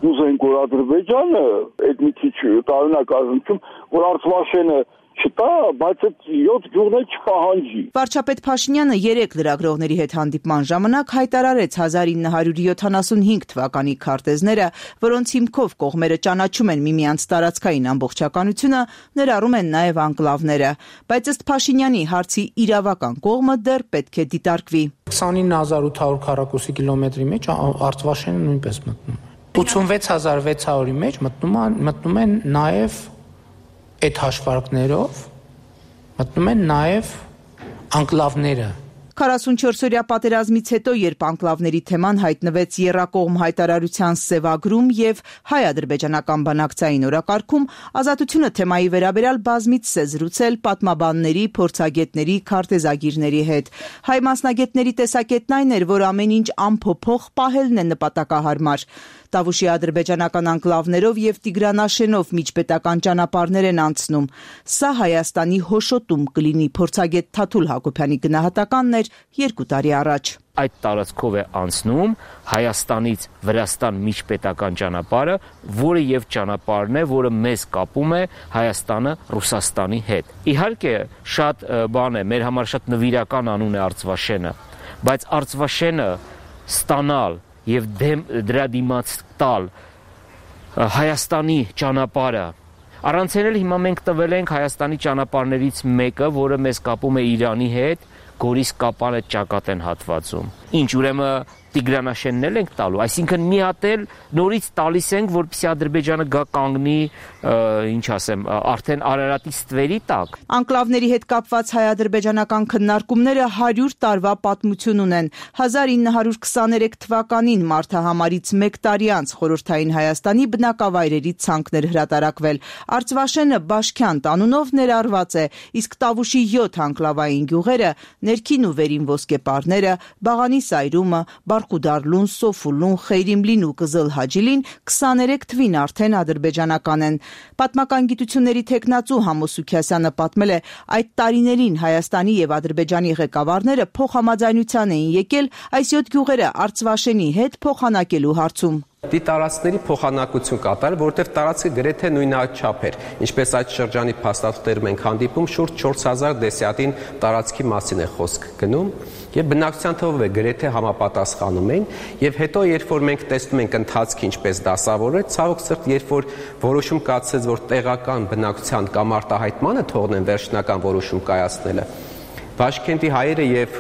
ուզենք, որ Ադրբեջանը այդ մի քիչ տարօրինակ ազնվում, որ Արցվաշենը չտա, բայց այդ 7 գյուղներ չպահանջի։ Վարչապետ Փաշինյանը 3 լրագրողների հետ հանդիպման ժամանակ հայտարարեց 1975 թվականի քարտեզները, որոնց հիմքով կողմերը ճանաչում են միմյանց տարածքային ամբողջականությունը, ներառում են նաև անկլավները, բայց ըստ Փաշինյանի հարցի իրավական կողմը դեռ պետք է դիտարկվի։ 29800 քառակուսի կիլոմետրի մեջ Արցվաշենը նույնպես մտնում է։ 86600-ի մեջ մտնում են նաև այդ հաշվարկներով մտնում են նաև անկլավները։ 44-օրյա պատերազմից հետո, երբ անկլավների թեման հայտնվեց եռակողմ հայտարարության սևագրում եւ հայ-ադրբեջանական բանակցային օրակարգում, Ազատությունը թեմայի վերաբերյալ բազմիցս է զրուցել պատմաբանների, փորձագետների, քարտեզագիրների հետ։ Հայ մասնագետների տեսակետն այն էր, որ ամեն ինչ անփոփոխ պահելն է նպատակահարմար։ Տավուշի ադրբեջանական անկլավներով եւ Տիգրանաշենով միջպետական ճանապարհներ են անցնում։ Սա Հայաստանի հոշոտում կլինի, փորձագետ Թաթուլ Հակոբյանի գնահատականն էր 2 տարի առաջ։ Այդ տարածքով է անցնում Հայաստանից Վրաստան միջպետական ճանապարհը, որը եւ ճանապարհն է, որը մեզ կապում է Հայաստանը Ռուսաստանի հետ։ Իհարկե, շատ բան է, մեր համար շատ նվիրական անուն է Արցվաշենը, բայց Արցվաշենը ստանալ եւ դրա դիմաց տալ Հայաստանի ճանապարհը առանցել հիմա մենք տվել ենք Հայաստանի ճանապարհներից մեկը, որը մեզ կապում է Իրանի հետ, Գորիս Կապանը ճակատեն հատվածում։ Ինչ ուրեմն Տիգրանաշենն էլ ենք տալու, այսինքն մի հատ էլ նորից տալիս ենք, որպեսզի Ադրբեջանը գա կանգնի, ինչ ասեմ, արդեն Արարատի ստվերի տակ։ Անկլավների հետ կապված հայ-ադրբեջանական քննարկումները 100 տարվա պատմություն ունեն։ 1923 թվականին մարդահամարից 1 տարի անց Խորհրդային Հայաստանի բնակավայրերի ցանկներ հրատարակվել։ Արցվաշենը Բաշքյանտ անունով ներառված է, իսկ Տավուշի 7 անկլավային գյուղերը, ներքին ու վերին ոսկեպարները, Բաղանի Սայրումը, Բարխուդարլուն, Սոֆուլուն, Խեյրիմլին ու Կզլ Հաջիլին 23 թվին արդեն ադրբեջանական են։ Պատմական գիտությունների թեկնածու Համոս Սուքիասյանը պատմել է, այդ տարիներին Հայաստանի եւ Ադրբեջանի ղեկավարները փոխհամաձայնության էին եկել այս 7 գյուղերը Արցվաշենի հետ փոխանակելու հարցում։ Դի տարածքների փոխանակություն կատարել, որտեղ տարածքը գրեթե նույնաչափ էր, ինչպես այդ շրջանի փաստաթղթերում ենք հանդիպում, շուրջ 4000 դեսյատին տարածքի մասին է խոսք գնում, եւ բնակչության թվով է գրեթե համապատասխանում են, եւ հետո երբ որ մենք տեսնում ենք ընթացքը ինչպես դասավորել, ցավոք սրտ, երբ որ որոշում կայացեց, որ տեղական բնակչության կամ արտահայտմանը թողնեն վերջնական որոշում կայացնելը, Բաշքենտի հայերը եւ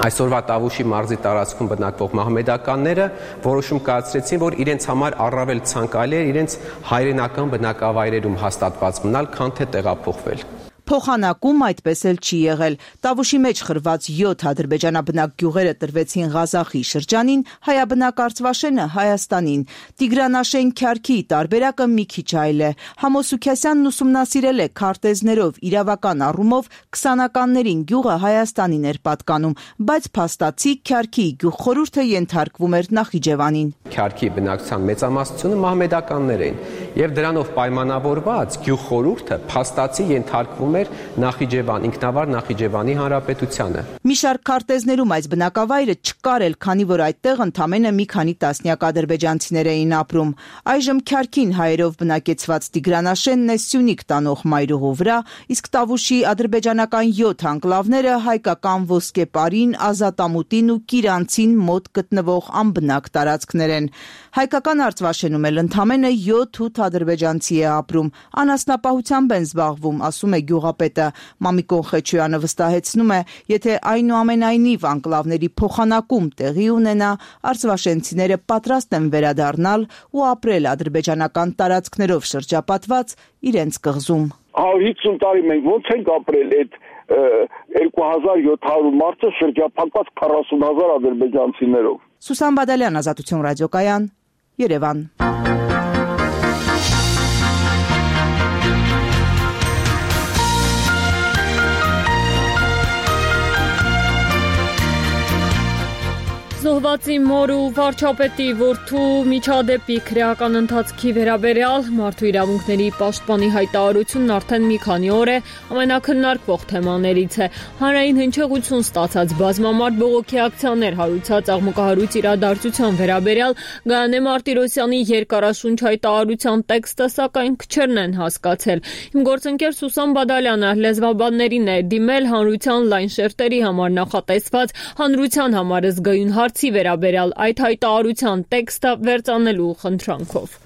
այսօրվա Տավուշի մարզի տարածքում բնակվող մահմեդականները որոշում կայացրեցին, որ իրենց համար առավել ցանկալի է իրենց հայրենական բնակավայրերում հաստատված մնալ, քան թե տեղափոխվել։ Փոխանակում այդպես էլ չի եղել։ Տավուշի մեջ խրված 7 ադրբեջանաբնակ գյուղերը տրվեցին Ղազախի շրջանին, հայաբնակ Արցվաշենը Հայաստանին։ Տիգրանաշեն Քյարքի տարբերակը մի քիչ այլ է։ Համոս Սուքիասյանն ուսումնասիրել է քարտեզներով իրավական առումով 20-ականներին գյուղը Հայաստանին էր պատկանում, բայց փաստացի Քյարքի գյուղխորհուրդը ենթարկվում էր Նախիջևանին։ Քյարքի բնակչության մեծամասնությունը մահմեդականներ էին, եւ դրանով պայմանավորված գյուղխորհուրդը փաստացի ենթարկվում էր Նախիջևան, ինքնավար Նախիջևանի հանրապետությանը։ Մի շարք քարտեզներում այս բնակավայրը չկար էլ, քանի որ այդտեղ ընդամենը մի քանի տասնյակ ադրբեջանցիներ էին ապրում։ Այժմ Քյարքին հայերով բնակեցված Տիգրանաշենն է Սյունիք տանող մայրուղու վրա, իսկ Տավուշի ադրբեջանական 7 անկլավները հայկական Ոսկեպարին, Ազատամուտին ու Կիրանցին մոտ գտնվող անբնակ տարածքներ են։ Հայկական Արցվաշենում էլ ընդամենը 7-8 ադրբեջանցի է ապրում, անասնապահությամբ են զբաղվում, ասում է գյուղապետը։ Մամիկոն Խեչոյանը վստահեցնում է, եթե այնուամենայնիվ անկլավների փոխանակում տեղի ունենա, արցվաշենցիները պատրաստ են վերադառնալ ու ապրել ադրբեջանական տարածքներով շրջապատված իրենց կղզում։ 150 տարի մենք ոնց ենք ապրել այդ 2700 մարդը շրջափակված 40,000 ադրբեջանցիներով։ Սուսան Բադալյան, Ազատություն ռադիոկայան, Երևան։ Զոհվածի մոր ու վարչապետի որդու միջադեպի քրեական ընթացքի վերաբերյալ Մարդու իրավունքների պաշտպանի հայտարարությունն արդեն մի քանի օր է ամենակննարկվող թեմաներից է։ Հանրային հնչեղություն ստացած բազմամարդ բողոքի ակցիաներ հարուցած աղմուկահարույց իրադարձության վերաբերյալ Գայանե Մարտիրոսյանի երկարաշունչ հայտարարության տեքստը սակայն քչերն են հասկացել։ Իմ գործընկեր Սուսան Բադալյանը լեզվաբաններին է դիմել հանրության լայն շերտերի համար նախատեսված հանրության համար զգայուն հարցի վերաբերյալ այդ հայտարարության տեքստը վերծանելու խնդրանքով։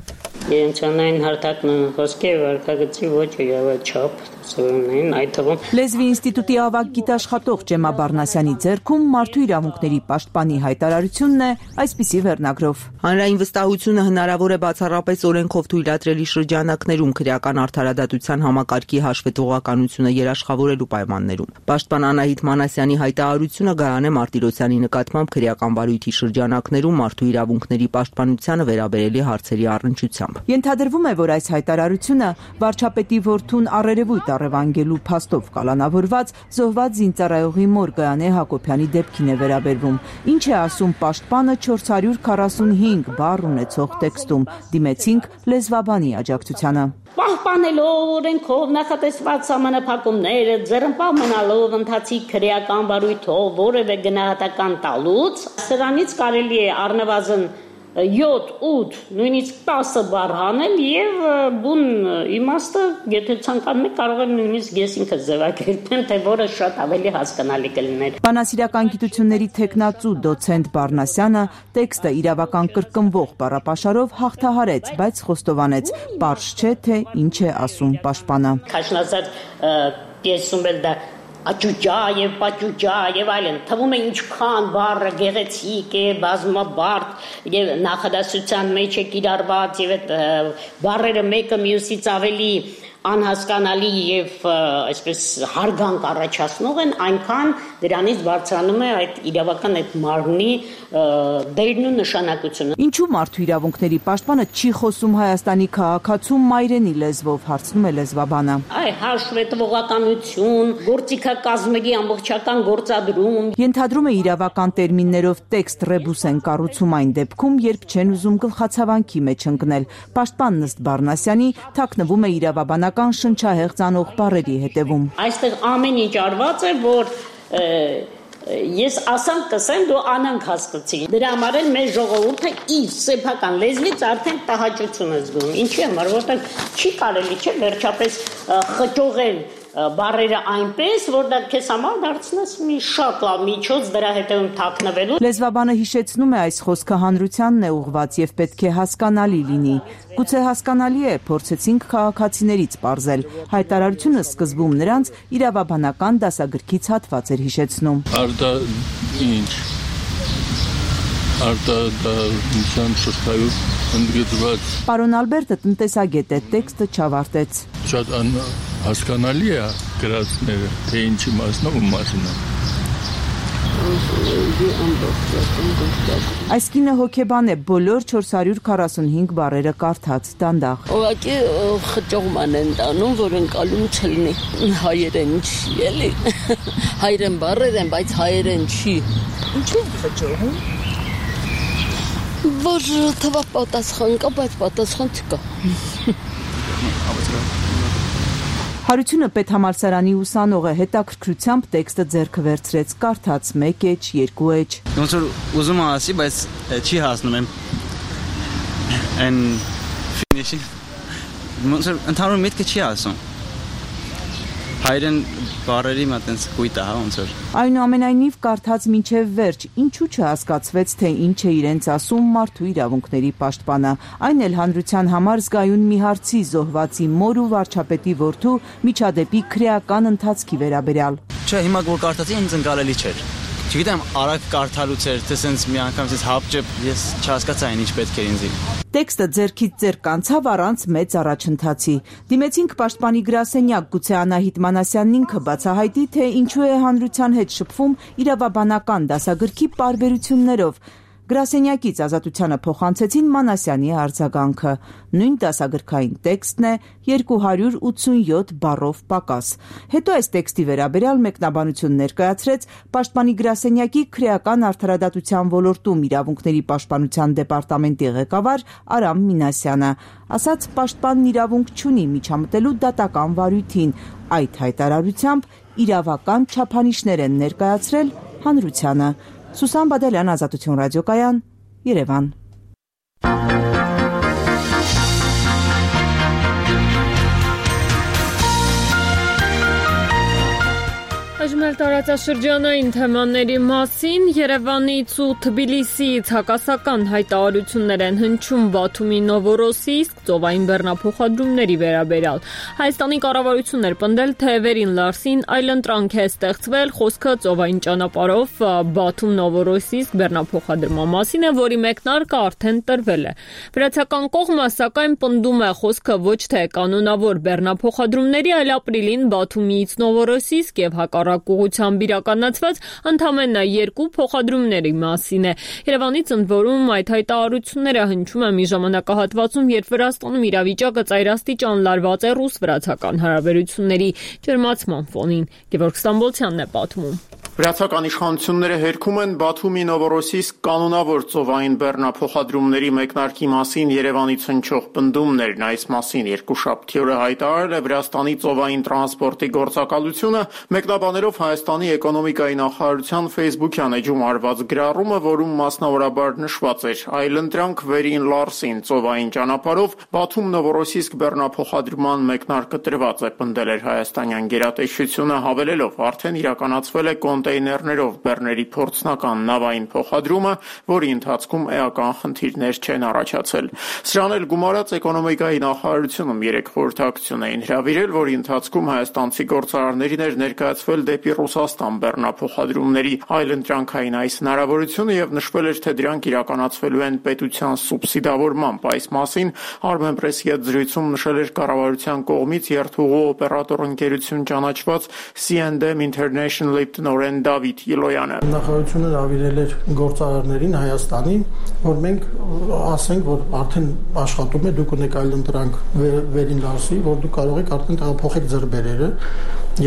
Իրենցանային հարթակն խոսքի վարկագծի ոճը չափ սովորումներին այդ թվում Լեզվի ինստիտուտի ավագ գիտաշխատող Ջեմա Բարնասյանի ձեռքում Մարդու իրավունքների պաշտպանի հայտարարությունն է այսպիսի վերնագրով. Հանրային վստահությունը հնարավոր է բացառապես օրենքով թույլատրելի շրջանակներում քրեական արդարադատության համակարգի հաշվետվողականությունը երաշխավորելու պայմաններում։ Պաշտպան Անահիտ Մանասյանի հայտարարությունը Գայանե Մարտիրոսյանի նկատմամբ քրեական բարույթի շրջանակներում մարդու իրավունքների պաշտպանությանը վերաբերելի հարցերի առնչությամբ։ Ենթադրվում է, որ այս հայտարարությունը վարչապետի որդուն առերևույթ առևանգելու փաստով կալանավորված զոհված զինծառայողի մոր Գայանե Հակոբյանի դեպքին է վերաբերվում։ Ինչ է ասում պաշտպանը 445 բառ ունեցող տեքստում։ Դիմեցինք լեզվաբանի աջակցությանը։ Պահպանելով օրենքով նախատեսված սահմանափակումները, ձեռնպահ մնալով ընթացիկ քրեական բարույթով որևէ գնահատական տալուց, սրանից կարելի է առնվազն 7, 8, նույնիսկ 10 բառ հանել եւ բուն իմաստը, եթե ցանկանում եք, կարող եմ նույնիսկ ես ինքս ձևակերպեմ, թե որը շատ ավելի հասկանալի կլիներ։ Բանասիրական գիտությունների թեկնածու դոցենտ Բարնասյանը տեքստը իրավական կրկնվող բառապաշարով հաղթահարեց, բայց խոստովանեց, պարզ չէ, թե ինչ է ասում պաշտպանը։ Քաշնազար պիեսում էլ դա աճուճա եւ պաճուճա եւ այլն թվում է ինչքան բառը գեղեցիկ է, բազմաբարդ եւ նախադասության մեջ է կիրառված եւ այդ բառերը մեկը մյուսից ավելի անհասկանալի եւ այսպես հարգանք առաջացնող են, այնքան դրանից բարձրանում է այդ իրավական այդ մարմնի դերն ու նշանակությունը։ Ինչու մարդու իրավունքների պաշտպանը չի խոսում Հայաստանի քաղաքացու մայրենի լեզվով, հարցնում է լեզվաբանը։ Հաշվետվողականություն, գործիքակազմերի ամբողջական գործադրում։ Ենթադրում է իրավական տերմիններով տեքստ ռեբուս են կառուցում այն դեպքում, երբ չեն ուզում գլխացավանքի մեջ ընկնել։ Պաշտպանն ըստ Բարնասյանի թաքնվում է իրավաբանական շնչահեղձ անող բառերի հետևում։ Այստեղ ամեն ինչ արված է, որ ես ասեմ կսեմ, դու անանք հասկացի։ Դրա համար էլ մեր ժողովուրդը իր սեփական լեզվից արդեն տհաճություն է զգում։ Ինչի համար, որտեղ չի կարելի չէ վերջապես խճողել բառերը այնպես, որ դա քեզ համար դարձնես մի շատ լավ միջոց դրա հետևում թաքնվելու։ Լեզվաբանը հիշեցնում է այս խոսքը հանրությանն է ուղված եւ պետք է հասկանալի լինի։ Գուցե հասկանալի է, փորձեցինք քաղաքացիներից պարզել։ Հայտարարությունը սկզբում նրանց իրավաբանական դասագրքից հատված էր հիշեցնում։ Արտա ինչ։ Արտադարձության շղթայով ընդգծված։ Պարոն Ալբերտը տնտեսագետ է, տեքստը չավարտեց։ Շատ հասկանալի է գրածները, թե ինչի մասն ու մասն է։ Այս կինը հոգեբան է, բոլոր 445 բառերը կարդաց դանդաղ։ Ուղղակի խճողման են տանում, որ ընկալում չլինի։ Հայերեն չի, էլի։ Հայերեն բառեր են, բայց հայերեն չի։ Ինչու խճողում։ Որ թվա պատասխան կա, բայց պատասխան չկա։ Հարությունը պետհամալսարանի ուսանող է, հետաքրքրությամբ տեքստը ձեռքը վերցրեց, կարդաց 1 էջ, 2 էջ։ Ոնց որ ուզում եմ ասի, բայց չի հասնում եմ։ Այն ֆինիշի։ Ոնց որ ընդհանուր միտքը չի ասում։ Հայերեն բառերի մատենց կույտ է, հա, ոնց որ։ Այնուամենայնիվ կարդաց մինչև վերջ, ինչու չհասկացվեց, թե ինչ է իրենց ասում մարդու իրավունքների պաշտպանը։ Այն էլ հանրության համար զգայուն մի հարցի զոհվածի մոր ու վարչապետի որդու միջադեպի քրեական ընթացքի վերաբերյալ։ Չէ, հիմա որ կարդացի, ինձ ընկալելի չէր։ Չգիտեմ, արագ կարդալուց էր, թե սենց մի անգամ սենց հապճեպ ես չհասկացա ինչ պետք էր ինձ։ Տեքստը ձեռքից ձեռք անցավ առանց մեծ առաջընթացի։ Դիմեցինք պաշտպանի գրասենյակ, գուցե Անահիտ Մանասյանն ինքը բացահայտի, թե ինչու է հանրության հետ շփվում իրավաբանական դասագրքի պարբերություններով։ Գրասենյակից Ազատությանը փոխանցեցին Մանասյանի արձագանքը։ Նույն դասագրքային տեքստն է 287 բառով պակաս։ Հետո այս տեքստի վերաբերյալ մեկնաբանություն ներկայացրեց պաշտպանի գրասենյակի քրեական արդարադատության ոլորտում իրավունքների պաշտպանության դեպարտամենտի ղեկավար Արամ Մինասյանը։ Ասաց, պաշտպանն իրավունք չունի միջամտելու դատական վարույթին։ Այդ հայտարարությամբ իրավական չափանիշներ են ներկայացրել հանրությանը։ Սուսան Բադալյան, Ազատություն ռադիոկայան, Երևան։ Այժմ տարածաշրջանային թեմաների մասին Երևանից ու Թբիլիսիից հակասական հայտարարություններ են հնչում Բաթումի Նովորոսիիսկ ծովային բեռնափոխադրումների վերաբերյալ։ Հայաստանի կառավարությունն էր պնդել, թե Վերին Լարսին այլընտրանք է ստեղծվել, խոսքը ծովային ճանապարհով Բաթում Նովորոսիիսկ բեռնափոխադրման մասին է, որի մեկնարկը արդեն տրվել է։ Վրացական կողմը սակայն պնդում է խոսքը ոչ թե կանոնավոր բեռնափոխադրումների, այլ ապրիլին Բաթումից Նովորոսիիսկ եւ հակառակ ուղղությամբ իրականացված ընդամենը 2 փոխադրումների մասին է։ Երևանից ընդ որում այդ հայտարարությունները հնչում են մի ժամանակահատվածում, երբ Վրաստանում իրավիճակը ծայրաստիճան լարված է ռուս-վրացական հարաբերությունների ջերմացման ֆոնին։ Գևորգ Ստամբոլցյանն է պատմում։ Վրացական իշխանությունները հերքում են Բաթումի Նովորոսիիսկ կանոնավոր ծովային բեռնափոխադրումների մեկնարկի մասին Երևանից հնչող պնդումներն։ Այս մասին երկուշաբթի օրը հայտարարել է Վրաստանի ծովային տրանսպորտի գործակալությունը, մեկնաբաներով Հայաստանի էկոնոմիկայի նախարարության Facebook-յան էջում արված գրառումը, որում մասնավորաբար նշված էր. «Այլընտրանք Վերին Լարսին ծովային ճանապարհով Բաթում Նովորոսիիսկ բեռնափոխադրման մեկնարկը տրված է», պնդել էր հայաստանյան գերատեսչությունը, հավելելով, արդեն իրականացվել է կոնտեյներներով բեռների փորձնական նավային փոխադրումը, որի ընթացքում էական խնդիրներ չեն առաջացել։ Սրան էլ գումարած էկոնոմիկայի նախարարությունում 3 խորհրդակցություն էին հրավիրել, որի ընթացքում հայաստանցի գործարարներին էր ներկայացվել դեպի Ռուսաստան բեռնափոխադրումների այլընտրանքային այս հնարավորությունը եւ նշվել էր, թե դրանք իրականացվելու են պետության սուբսիդավորմամբ։ Այս մասին Armenpress-ի հետ զրույցում նշել էր կառավարության կողմից երթուղու օպերատոր ընկերություն ճանաչված C&M International-ի տնօրեն Դավիթ Յիլոյանը։ Նախարարությունը հրավիրել էր գործարարներին Հայաստանի, որ մենք ասենք, որ արդեն աշխատում է, դուք ունեք այլընտրանք Վերին Լարսի, որ դուք կարող եք արդեն տեղափոխեք ձեր բերերը,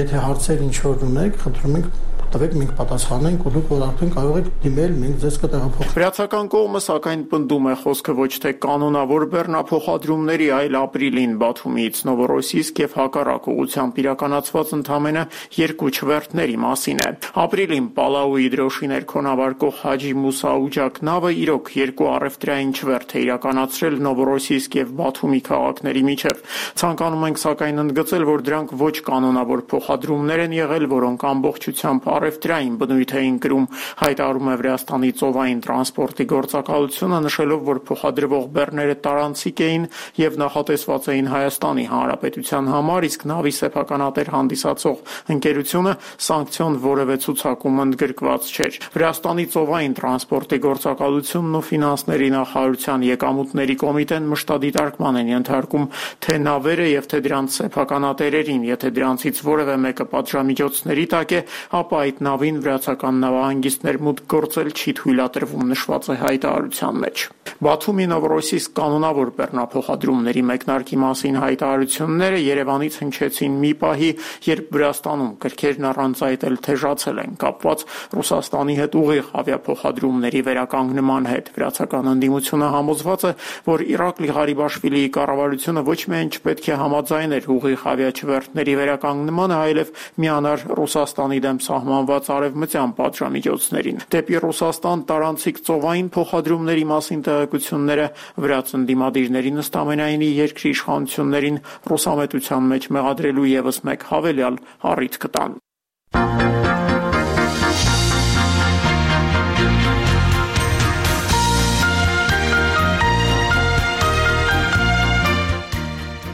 եթե հարցեր ինչ-որ ունեք, խնդրում ենք տվեք, մենք պատասխանենք, ու դուք որ արդեն կարող եք դիմել, մենք ձեզ կտեղափոխենք։ Վրացական կողմը սակայն պնդում է խոսքը ոչ թե կանոնավոր բեռնափոխադրումների, այլ ապրիլին Բաթումից Նովորոսիիսկ եւ հակառակ ուղղությամբ իրականացված ընդամենը 2 չվերթների մասին է։ Ապրիլին Պալաուի դրոշի ներքոնավարկող Հաջի Մուսա Ուջակ նավը իրոք 2 առևտրային չվերթ է իրականացրել Նովորոսիիսկ եւ Բաթումի քաղաքների միջև։ Ցանկանում ենք սակայն ընդգծել, որ դրանք ոչ կանոնավոր փոխադրումներ են եղել, որոնք ամբողջությամբ առևտրային բնույթ էին կրում, հայտարարում է Վրաստանի ծովային տրանսպորտի գործակալությունը, նշելով, որ փոխադրվող բեռները տարանցիկ էին եւ նախատեսված էին Հայաստանի Հանրապետության համար, իսկ նավի սեփականատեր հանդիսացող ընկերությունը սանկցիոն որևէ ցուցակում ընդգրկված չէր։ Վրաստանի ծովային տրանսպորտի գործակալությունն ու ֆինանսների նախարարության եկամուտների կոմիտեն մշտադիտարկման են ենթարկում թե նավերը եւ թե դրանց սեփականատերերին, եթե դրանցից որևէ մեկը պատժամիջոցների տակ է, ապա այդ նավին վրացական նավահանգիստներ մուտք գործել չի թույլատրվում, նշված է հայտարարության մեջ։ Բաթումի Նովորոսիիսկ կանոնավոր բեռնափոխադրումների մեկնարկի մասին հայտարարությունները Երևանից հնչեցին մի պահի, երբ Վրաստանում կրքերն առանց այդ էլ թեժացել են կապված Ռուսաստանի հետ ուղիղ ավիափոխադրումների վերականգնման հետ։ Վրացական ընդդիմությունը համոզված է, որ Իրակլի Ղարիբաշվիլիի կառավարությունը ոչ միայն չպետք է համաձայներ ուղիղ ավիաչվերթների վերականգնմանը, այլև միանար Ռուսաստանի դեմ սահմանված արևմտյան պատժամիջոցներին։ Դեպի Ռուսաստան տարանցիկ ծովային փոխադրումների մասին տեղեկությունները վրաց ընդդիմադիրներին ըստամենայնի երկրի իշխանություններին ռուսամետության մեջ մեղադրելու եւս մեկ հավելյալ առիթ կտան։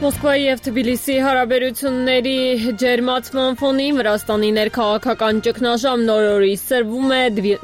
Մոսկվայի եւ Թբիլիսի հարաբերությունների ջերմացման ֆոնին Վրաստանի ներքաղաքական ճգնաժամ նոր օրի սրվում է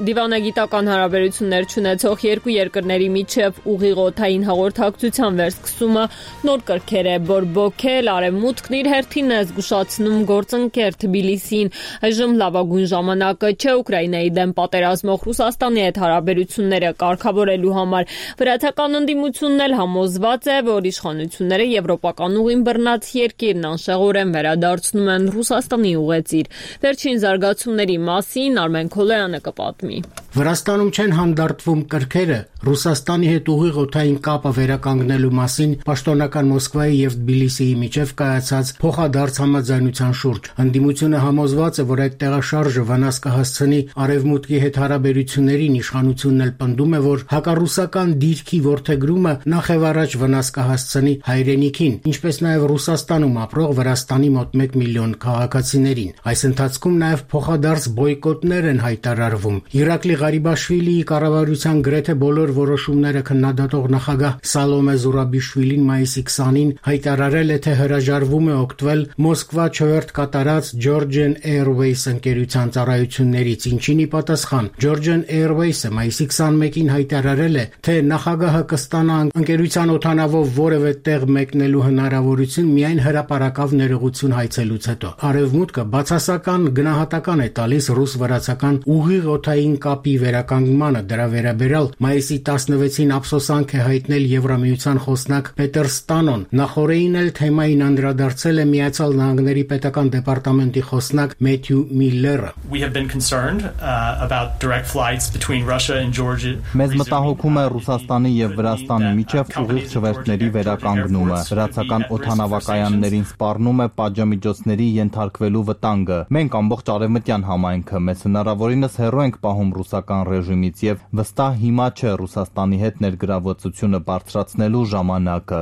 դիվանագիտական հարաբերություններ չունեցող երկու երկրների միջև ուղիղօթային հաղորդակցության վերսկսումը նոր կրքեր է բորբոքել, արևմուտքն իր հերթին է զգուշացնում գործընկեր Թբիլիսին։ Այժմ լավագույն ժամանակը չէ Ուկրաինայի դեմ պատերազմող Ռուսաստանի հետ հարաբերությունները կարգավորելու համար։ Վրացական ընդդիմությունն էլ համոզված է, որ իշխանությունները եվրոպական ուղին բռնած երկիրն անշեղորեն վերադարձնում են Ռուսաստանի ուղեծիր։ Վերջին զարգացումների մասին Արմեն Քոլոյանը կպատմի։ Վրաստանում չեն հանդարտվում կրքերը Ռուսաստանի հետ ուղիղ օդային կապը վերականգնելու մասին պաշտոնական Մոսկվայի եւ Թբիլիսիի միջև կայացած փոխադարձ համաձայնության շուրջ։ Ընդդիմությունը համոզված է, որ այդ տեղաշարժը վնաս կհասցնի արևմուտքի հետ հարաբերություններին, իշխանությունն էլ պնդում է, որ հակառուսական դիրքի որդեգրումը նախևառաջ վնաս կհասցնի հայրենիքին, ինչպես նաև Ռուսաստանում ապրող Վրաստանի մոտ 1 միլիոն քաղաքացիներին։ Այս ընթացքում նաև փոխադարձ բոյկոտներ են հայտարարվում։ Իրակլի Ղարիբաշվիլիի կառավարության գրեթե բոլոր որոշումները քննադատող նախագահ Սալոմե Զուրաբիշվիլին մայիսի 20-ին հայտարարել է, թե հրաժարվում է օգտվել Մոսկվա չվերթ կատարած Georgian Airways ընկերության ծառայություններից, ինչին ի պատասխան Georgian Airways-ը մայիսի 21-ին հայտարարել է, թե նախագահը կստանա ընկերության օդանավով որևէ տեղ մեկնելու հնարավորություն միայն հրապարակավ ներողություն հայցելուց հետո։ Արևմուտքը բացասական գնահատական է տալիս ռուս-վրացական ուղիղ օդային կապի վերականգնմանը։ Դրա վերաբերյալ մայիսի 16-ին ափսոսանք է հայտնել Եվրամիության խոսնակ Պետեր Ստանոն։ Նախորդին էլ թեմային անդրադարձել է Միացյալ Նահանգների պետական դեպարտամենտի խոսնակ Մեթյու Միլլերը։ Մեզ մտահոգում է Ռուսաստանի եւ Վրաստանի միջև ուղիղ չվերթների վերականգնումը։ Վրացական օդանավակայաններին սպառնում է պատժամիջոցների ենթարկվելու վտանգը։ Մենք ամբողջ արևմտյան համայնքը մեզ հնարավորինս հեռու ենք պահում ռուսական ռեժիմից եւ վստահ հիմա չէ Ռուսաստանի հետ ներգրավվածությունը բարձրացնելու ժամանակը։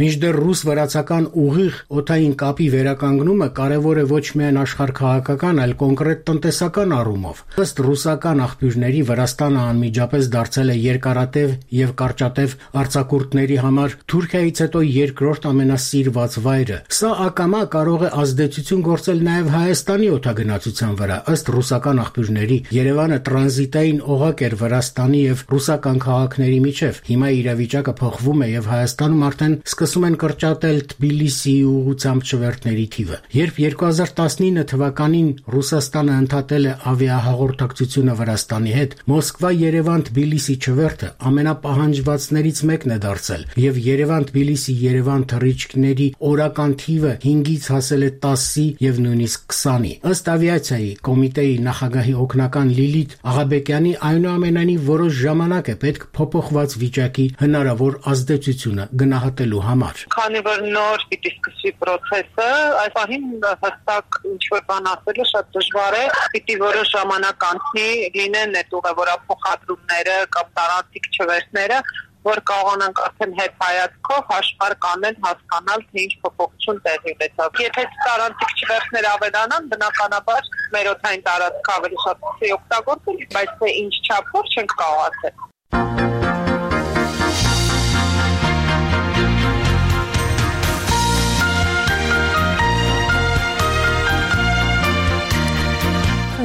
Մինչդեռ ռուս-վրացական ուղիղ օդային կապի վերականգնումը կարևոր է ոչ միայն աշխարհքաղաքական, այլ կոնկրետ տնտեսական առումով։ Ըստ ռուսական աղբյուրների Վրաստանը անմիջապես դարձել է երկարատև եւ կարճատև արձակուրդների համար Թուրքիայից հետո երկրորդ ամենասիրված վայրը։ Սա ակամա կարող է ազդեցություն գործել նաեւ Հայաստանի օդագնացության վրա։ Ըստ ռուսական աղբյուրների Երևանը տրանզիտային օղակ էր Վրաստանի եւ ռուսական քաղաքների միջև։ Հիմա իրավիճակը փոխվում է եւ Հայաստանում արդեն սկսում են կրճատել Թբիլիսիի ուղղությամբ չվերթների թիվը։ Երբ 2019 թվականին Ռուսաստանը ընդհատել է ավիահաղորդակցությունը Վրաստանի հետ, Մոսկվա-Երևան-Թբիլիսի չվերթը ամենապահանջվածներից մեկն է դարձել եւ Երևան-Թբիլիսի-Երևան թռիչքների օրական թիվը 5-ից հասել է 10-ի եւ նույնիսկ 20-ի։ Ըստ ավիացիայի կոմիտեի նախագահի օգնական Լիլիթ Աղաբեկյանի, այնուամենայնիվ որոշ ժամանակ է պետք փոփոխված վիճակի հնարավոր ազդեցությունը գնահատելու համար։ Քանի որ նոր պիտի սկսվի process-ը, այս պահին հստակ ինչ-որ բան ասելը շատ դժվար է, պիտի որոշ ժամանակ անցնի, լինեն այդ ուղևորափոխադրումները կամ տարածիկ չվերթները, որ կարողանանք արդեն հետ հայացքով հաշվարկ անել, հասկանալ, թե ինչ փոփոխություն տեղի ունեցավ։ Եթե տարածիկ չվերթներ ավելանան, բնականաբար մեր օդային տարածքը ավելի շատ օգտագործել, բայց թե ինչ չափով չենք կարող ասել։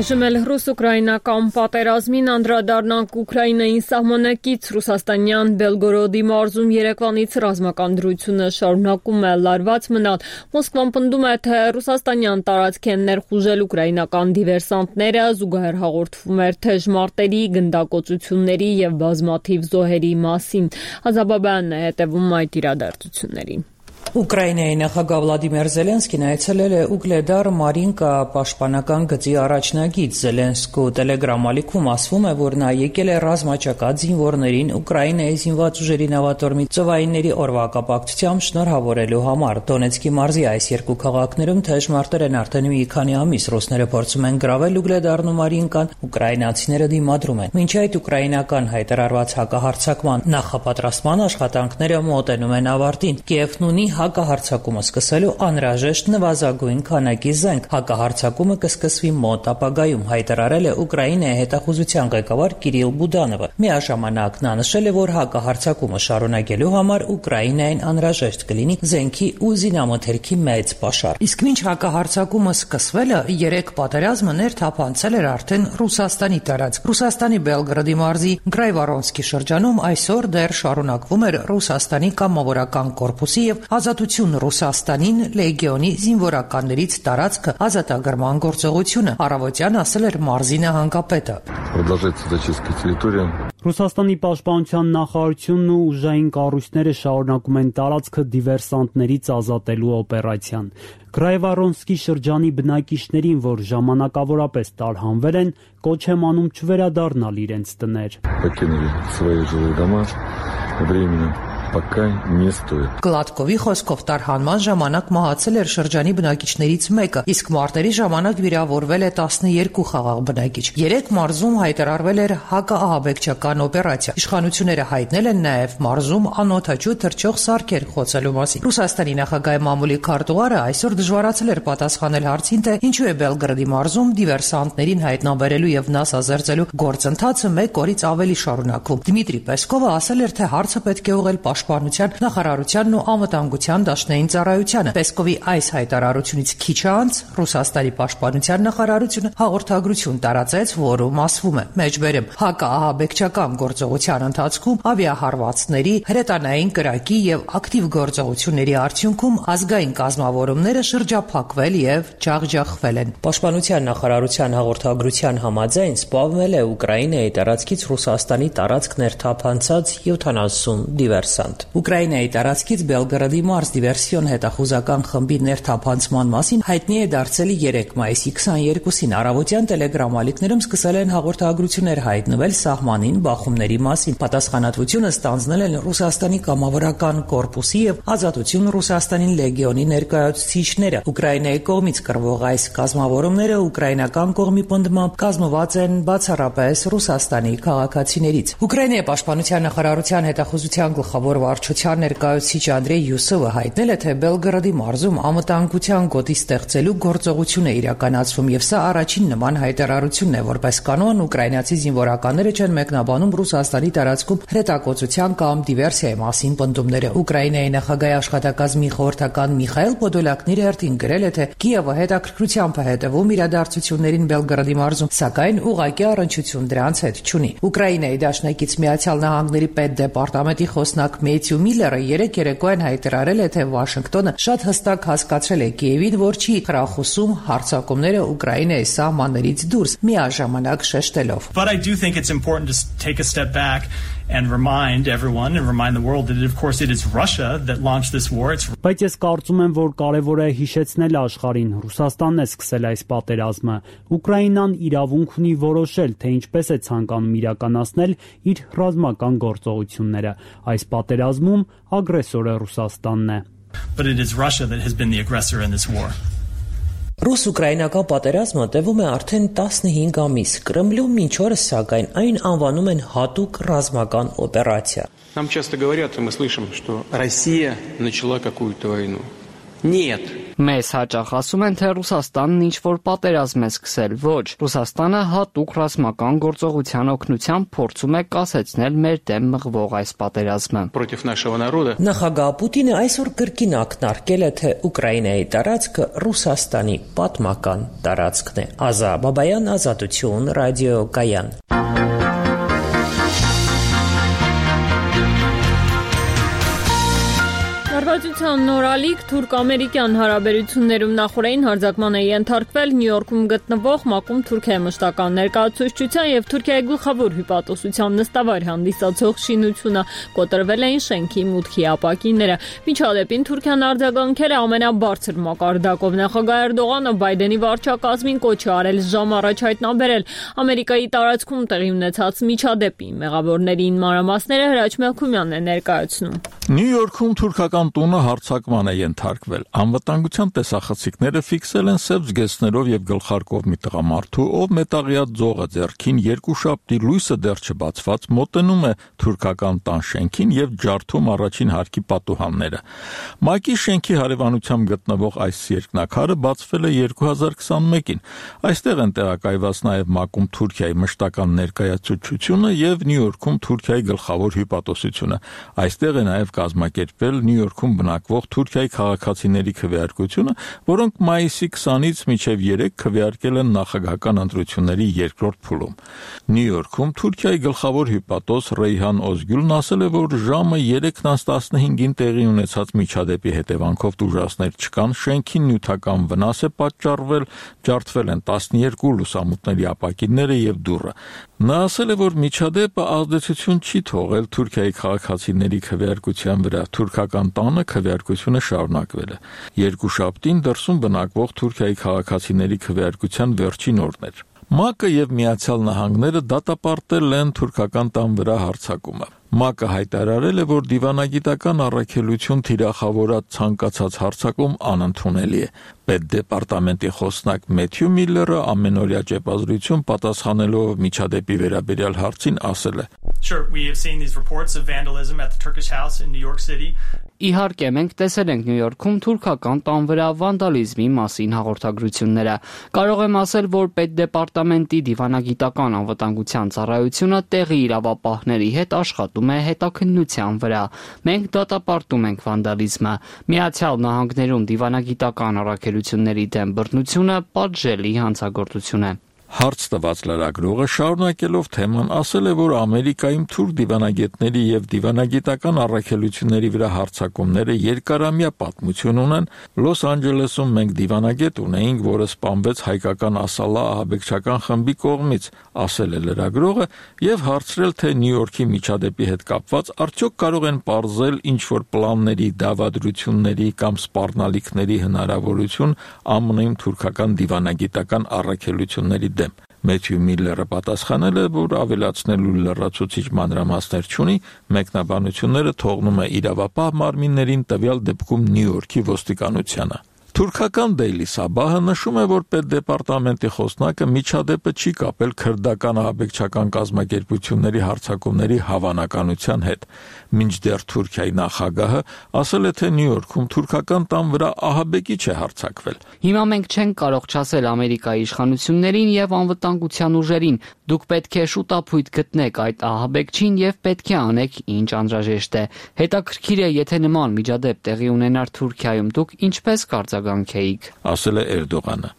Այժմ էլ ռուս-ուկրաինական պատերազմին անդրադառնանք Ուկրաինային սահմանակից ռուսաստանյան Բելգորոդի մարզում երեկվանից ռազմական դրությունը շարունակում է լարված մնալ։ Մոսկվան պնդում է, թե ռուսաստանյան տարածք են ներխուժել ուկրաինական դիվերսանտները, զուգահեռ հաղորդվում էր թեժ մարտերի, գնդակոծությունների եւ բազմաթիվ զոհերի մասին։ Ազաբաբյանն է հետևում այդ իրադարձություններին։ Ուկրաինայի նախագահ Վլադիմիր Զելենսկին այցելել է Ուգլեդար Մարինկա պաշտպանական գծի առաջնագիծ։ Զելենսկու Telegram ալիքում ասվում է, որ նա եկել է ռազմաճակատ զինվորներին Ուկրաինայի զինված ուժերի նավատորմի ծովայինների օրվա կապակցությամբ շնորհավորելու համար։ Դոնեցկի մարզի այս երկու քաղաքներում թեժ մարտեր են արդեն մի քանի ամիս։ Ռուսները փորձում են գրավել Ուգլեդարն ու Մարինկան, ուկրաինացիները դիմադրում են։ Մինչ այդ ուկրաինական հայտարարված հակահարձակման նախապատրաստման աշխատանքները մոտենում են ավարտին։ Կիևն ունի հակահարձակումը սկսելու անհրաժեշտ նվազագույն քանակի զենք։ Հակահարձակումը կսկսվի մոտ ապագայում, հայտարարել է Ուկրաինայի հետախուզության ղեկավար Կիրիլ Բուդանովը։ Միաժամանակ նա նշել է, որ հակահարձակումը շարունակելու համար Ուկրաինային անհրաժեշտ կլինի զենքի ու զինամթերքի մեծ պաշար։ Իսկ մինչ հակահարձակումը սկսվելը, 3 պատերազմը ներթափանցել էր արդեն Ռուսաստանի տարածք։ Ռուսաստանի Բելգրադի մարզի Գրայվարոնսկի շրջանում այսօր դեռ շարունակվում էր Ռուսաստանի կամավորական կորպուսի եւ Ազատություն Ռուսաստանին լեգիոնի զինվորականներից տարածքը ազատագրման գործողությունը, առավոտյան ասել էր մարզի նահանգապետը։ Ռուսաստանի պաշտպանության նախարարությունն ու ուժային կառույցները շարունակում են տարածքը դիվերսանտներից ազատելու օպերացիան։ Գրայվարոնսկի շրջանի բնակիչներին, որ ժամանակավորապես տարհանվել են, կոչ եմ անում չվերադառնալ իրենց տներ։ Գլադկովի խոսքով տարհանման ժամանակ մահացել էր շրջանի բնակիչներից մեկը, իսկ մարտերի ժամանակ վիրավորվել է 12 խաղաղ բնակիչ։ 3 մարզում հայտարարվել էր հակաահաբեկչական օպերացիա։ Իշխանությունները հայտնել են նաև մարզում անօդաչու թռչող սարքեր խոցելու մասին։ Ռուսաստանի նախագահի մամուլի քարտուղարը այսօր դժվարացել էր պատասխանել հարցին, թե ինչու է Բելգրադի մարզում դիվերսանտներին հայտնաբերելու եւ նասազերծելու գործընթացը 1 օրից ավելի շարունակվում։ Դմիտրի Պեսկովը ասել էր, թե հարցը պետք է ուղղել Պաշտպանության նախարարությանն ու անվտանգության դաշնային ծառայությանը։ Պեսկովի այս հայտարարությունից քիչ անց Ռուսաստանի պաշտպանության նախարարությունը հաղորդագրություն տարածեց, որում ասվում է. մեջբերեմ, հակաահաբեկչական գործողության ընթացքում ավիահարվածների, հրետանային կրակի եւ ակտիվ գործողությունների արդյունքում ազգային կազմավորումները շրջափակվել եւ ջախջախվել են։ Պաշտպանության նախարարության հաղորդագրության համաձայն սպանվել է Ուկրաինայի տարածքից Ռուսաստանի տարածք ներթափանցած 70 դիվերսանտ։ Ուկրաինայի տարածքից Բելգրադի մարզ դիվերսիոն հետախուզական խմբի ներթափանցման մասին հայտնի է դարձել 3 մայիսի 22-ին առավոտյան տելեգրամ սկսել են հաղորդագրություններ հայտնվել սահմանին բախումների մասին։ Պատասխանատվությունը ստանձնել են Ռուսաստանի կամավորական կորպուսի եւ Ազատություն Ռուսաստանին լեգիոնի ներկայացուցիչները։ Ուկրաինայի կողմից կրվող այս կազմավորումները ուկրաինական կողմի պնդմամբ կազմված են բացառապես Ռուսաստանի քաղաքացիներից։ Ուկրաինայի պաշտպանության նախարարության հետախուզության գլխավոր վարչության ներկայացուցիչ Անդրեյ Յուսովը հայտնել է, թե Բելգրադի մարզում անվտանգության գոտի ստեղծելու գործողություն է իրականացվում եւ սա առաջին նման հայտարարությունն է, որպես կանոն ուկրաինացի զինվորականները չեն մեկնաբանում Ռուսաստանի տարածքում հրետակոծության կամ դիվերսիայի մասին պնդումները։ Ուկրաինայի նախագահի աշխատակազմի խորհրդական Միխայել Պոդոլյակն իր հերթին գրել է, թե Կիևը հետաքրքրությամբ է հետևում իրադարձություններին Բելգրադի մարզում, սակայն ուղղակի առնչություն դրանց հետ չունի։ Ուկրաինայի դաշնակից Միացյալ Նահանգների պետդեպարտամենտի խոսնակ Մեթյու Միլլերը երեկ երեկոյան հայտարարել է, թե Վաշինգտոնը շատ հստակ հասկացրել է Կիևին, որ չի խրախուսում հարձակումները Ուկրաինայի սահմաններից դուրս, միաժամանակ շեշտելով. But I do think it's important to take a step back and remind everyone and remind the world that of course it is Russia that launched this war. Բայց ես կարծում եմ, որ կարևոր է հիշեցնել աշխարհին, Ռուսաստանն է սկսել այս պատերազմը։ Ուկրաինան իրավունք ունի որոշել, թե ինչպես է ցանկանում իրականացնել իր ռազմական գործողությունները։ Այս պատերազմում ագրեսորը Ռուսաստանն է։ But it is Russia that has been the aggressor in this war. Ռուս-ուկրաինական պատերազմը տևում է արդեն 15 ամիս։ Կրեմլում մինչ օրս սակայն այն անվանում են հատուկ ռազմական օպերացիա։ Нам часто говорят, и мы слышим, что Россия начала какую-то войну. Нет. Մեզ հաճախ ասում են, թե Ռուսաստանն ինչ-որ պատերազմ է սկսել։ Ոչ, Ռուսաստանը հատուկ ռազմական գործողության օգնությամբ փորձում է կասեցնել մեր դեմ մղվող այս պատերազմը։ Против нашего народа. Նախագահ Պուտինը այսօր կրկին ակնարկել է, թե Ուկրաինայի տարածքը Ռուսաստանի պատմական տարածքն է։ Ազա Բաբայան, Ազատություն, ռադիոկայան։ Հարվածության նորալիք թուրք-ամերիկյան հարաբերություններում նախորդային հարձակման է ենթարկվել Նյու Յորքում գտնվող ՄԱԿ-ում Թուրքիայի մշտական ներկայացուցչության եւ Թուրքիայի գլխավոր հյուպատոսության նստավայր հանդիսացող շինությունը, կոտրվել էին շենքի մուտքի ապակիները։ Միջադեպին Թուրքիան արձագանքել է ամենաբարձր մակարդակով։ Նախագահ Էրդողանը Բայդենի վարչակազմին կոչ է արել ժամ առաջ հայտնաբերել Ամերիկայի տարածքում տեղի ունեցած միջադեպի մեղավորներին մանրամասները Հրաչ Մելքումյանն է ներկայացնում։ Նյու Յորքում թուրքական տունը հարձակման է ենթարկվել։ Անվտանգության տեսախցիկները ֆիքսել են սև զգեստներով եւ գլխարկով մի տղամարդու, ով մետաղյա ձողը ձեռքին երկուշաբթի լույսը դեռ չբացված մոտենում է թուրքական տան շենքին եւ ջարդում առաջին հարկի պատուհանները։ ՄԱԿ-ի շենքի հարևանությամբ գտնվող այս երկնաքարը բացվել է 2021-ին։ Այստեղ են տեղակայված նաեւ ՄԱԿ-ում Թուրքիայի մշտական ներկայացուցչությունը եւ Նյու Յորքում Թուրքիայի գլխավոր հյուպատոսությունը։ Այստեղ է նաեւ կազմակերպվել Նյու Յորքում բնակվող Թուրքիայի քաղաքացիների քվեարկությունը, որոնք մայիսի 20-ից մինչև 3 քվեարկել են նախագահական ընտրությունների երկրորդ փուլում։ Նյու Յորքում Թուրքիայի գլխավոր հյուպատոս Ռեյհան Օզգյուլն ասել է, որ ժամը 3:15-ին տեղի ունեցած միջադեպի հետևանքով տուժածներ չկան, շենքին նյութական վնաս է պատճառվել, ջարդվել են 12 լուսամուտների ապակիները եւ դուռը։ Նա ասել է, որ միջադեպը ազդեցություն չի թողել Թուրքիայի քաղաքացիների քվեարկության վրա։ Թուրքական տանը քվեարկությունը շարունակվել է։ Երկուշաբթին դրսում բնակվող Թուրքիայի քաղաքացիների քվեարկության վերջին օրն էր։ ՄԱԿ-ը եւ Միացյալ Նահանգները դատապարտել են թուրքական տան վրա հարձակումը։ ՄԱԿ-ը հայտարարել է, որ դիվանագիտական առաքելություն թիրախավորած ցանկացած հարձակում անընդունելի է։ Պետդեպարտամենտի խոսնակ Մեթյու Միլլերը ամենօրյա ճեպազրույցում պատասխանելով միջադեպի վերաբերյալ հարցին ասել է. Sure, we have seen these reports of vandalism at the Turkish house in New York City. Իհարկե, մենք տեսել ենք Նյու Յորքում թուրքական տան վրա վանդալիզմի մասին հաղորդագրությունները։ Կարող եմ ասել, որ Պետդեպարտամենտի դիվանագիտական անվտանգության ծառայությունը տեղի իրավապահների հետ աշխատում է հետաքննության վրա։ Մենք դատապարտում ենք վանդալիզմը։ Միացյալ Նահանգներում դիվանագիտական առաքելությունների դեմ բռնությունը պատժելի հանցագործություն է։ Հարց տված լրագրողը շարունակելով թեման ասել է, որ Ամերիկայում թուրք դիվանագետների եւ դիվանագիտական առաքելությունների վրա հարձակումները երկարամյա պատմություն ունեն։ Լոս Անջելեսում մենք դիվանագետ ունեինք, որը սպանվեց հայկական Ասալա ահաբեկչական խմբի կողմից, ասել է լրագրողը եւ հարցրել, թե Նյու Յորքի միջադեպի հետ կապված արդյոք կարող են պարզել ինչ-որ պլանների, դավադրությունների կամ սպառնալիքների հնարավորություն ԱՄՆ-ում թուրքական դիվանագիտական առաքելությունների Մեթյու Միլլերը պատասխանել է, որ ավելացնելու լրացուցիչ մանրամասներ չունի, մեկնաբանությունները թողնում է իրավապահ մարմիններին, տվյալ դեպքում Նյու Յորքի ոստիկանությանը։ Թուրքական Daily Sabah-ը նշում է, որ Պետդեպարտամենտի խոսնակը միջադեպը չի կապել քրդական ահաբեկչական կազմակերպությունների հարձակումների հավանականության հետ։ Մինչդեռ Թուրքիայի նախագահը ասել է, թե Նյու Յորքում թուրքական տան վրա ահաբեկիչ է հարձակվել։ Հիմա մենք չենք կարող չասել Ամերիկայի իշխանություններին եւ անվտանգության ուժերին. դուք պետք է շուտապույտ գտնեք այդ ահաբեկչին եւ պետք է անեք ինչ անհրաժեշտ է։ Հետաքրքիր է, եթե նման միջադեպ տեղի ունենար Թուրքիայում, դուք ինչպես կարձագանքեիք, ասել է Էրդողանը։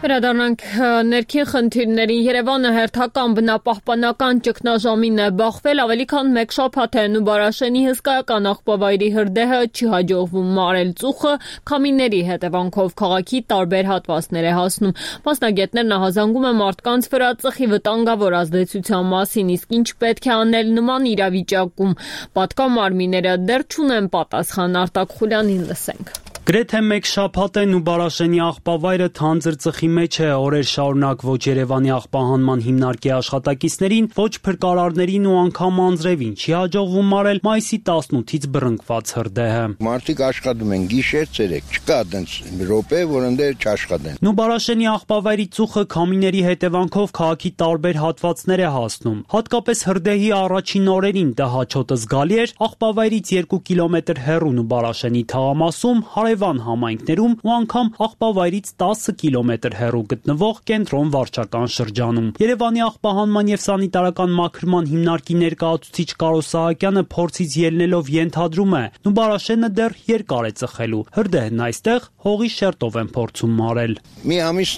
Վերադառնանք ներքին խնդիրներին։ Երևանը հերթական բնապահպանական ճգնաժամին է բախվել, ավելի քան մեկ շաբաթ է Նուբարաշենի հսկայական աղբավայրի հրդեհը չի հաջողվում մարել ծուխը, քամիների հետևանքով քաղաքի տարբեր հատվածներ է հասնում։ Մասնագետներն ահազանգում են մարդկանց վրա ծխի վտանգավոր ազդեցության մասին, իսկ ինչ պետք է անել նման իրավիճակում։ Պատկամարմինները դեռ չունեն պատասխան, Արտակ Խուլյանին լսենք։ Գրեթե մեկ շաբաթ է Նուբարաշենի աղբավայրը թանձր ծխի մեջ է, օրեր շարունակ ոչ Երևանի աղբահանման հիմնարկի աշխատակիցներին, ոչ փրկարարներին ու անգամ անձրևին չի հաջողվում մարել մայիսի 18-ից բռնկված հրդեհը։ Մարդիկ աշխատում են գիշեր, ցերեկ, չկա այդպես րոպե, որ ընդեր չաշխատեն։ Նուբարաշենի աղբավայրի ծուխը քամիների հետևանքով քաղաքի տարբեր հատվածներ է հասնում։ Հատկապես հրդեհի առաջին օրերին դա հաճոտը զգալի էր, աղբավայրից 2 կիլոմետր հեռու Նուբարաշենի թաղամասում հարևան համայնքներում ու անգամ աղբավայրից 10 կիլոմետր հեռու գտնվող կենտրոն վարչական շրջանում։ Երևանի աղբահանման եւ սանիտարական մաքրման հիմնարկի ներկայացուցիչ Կարո Սահակյանը փորձից ելնելով ենթադրում է, Նուբարաշենը դեռ երկար է ծխելու։ Հրդեհն այստեղ հողի շերտով են փորձում մարել։ Մի ամիս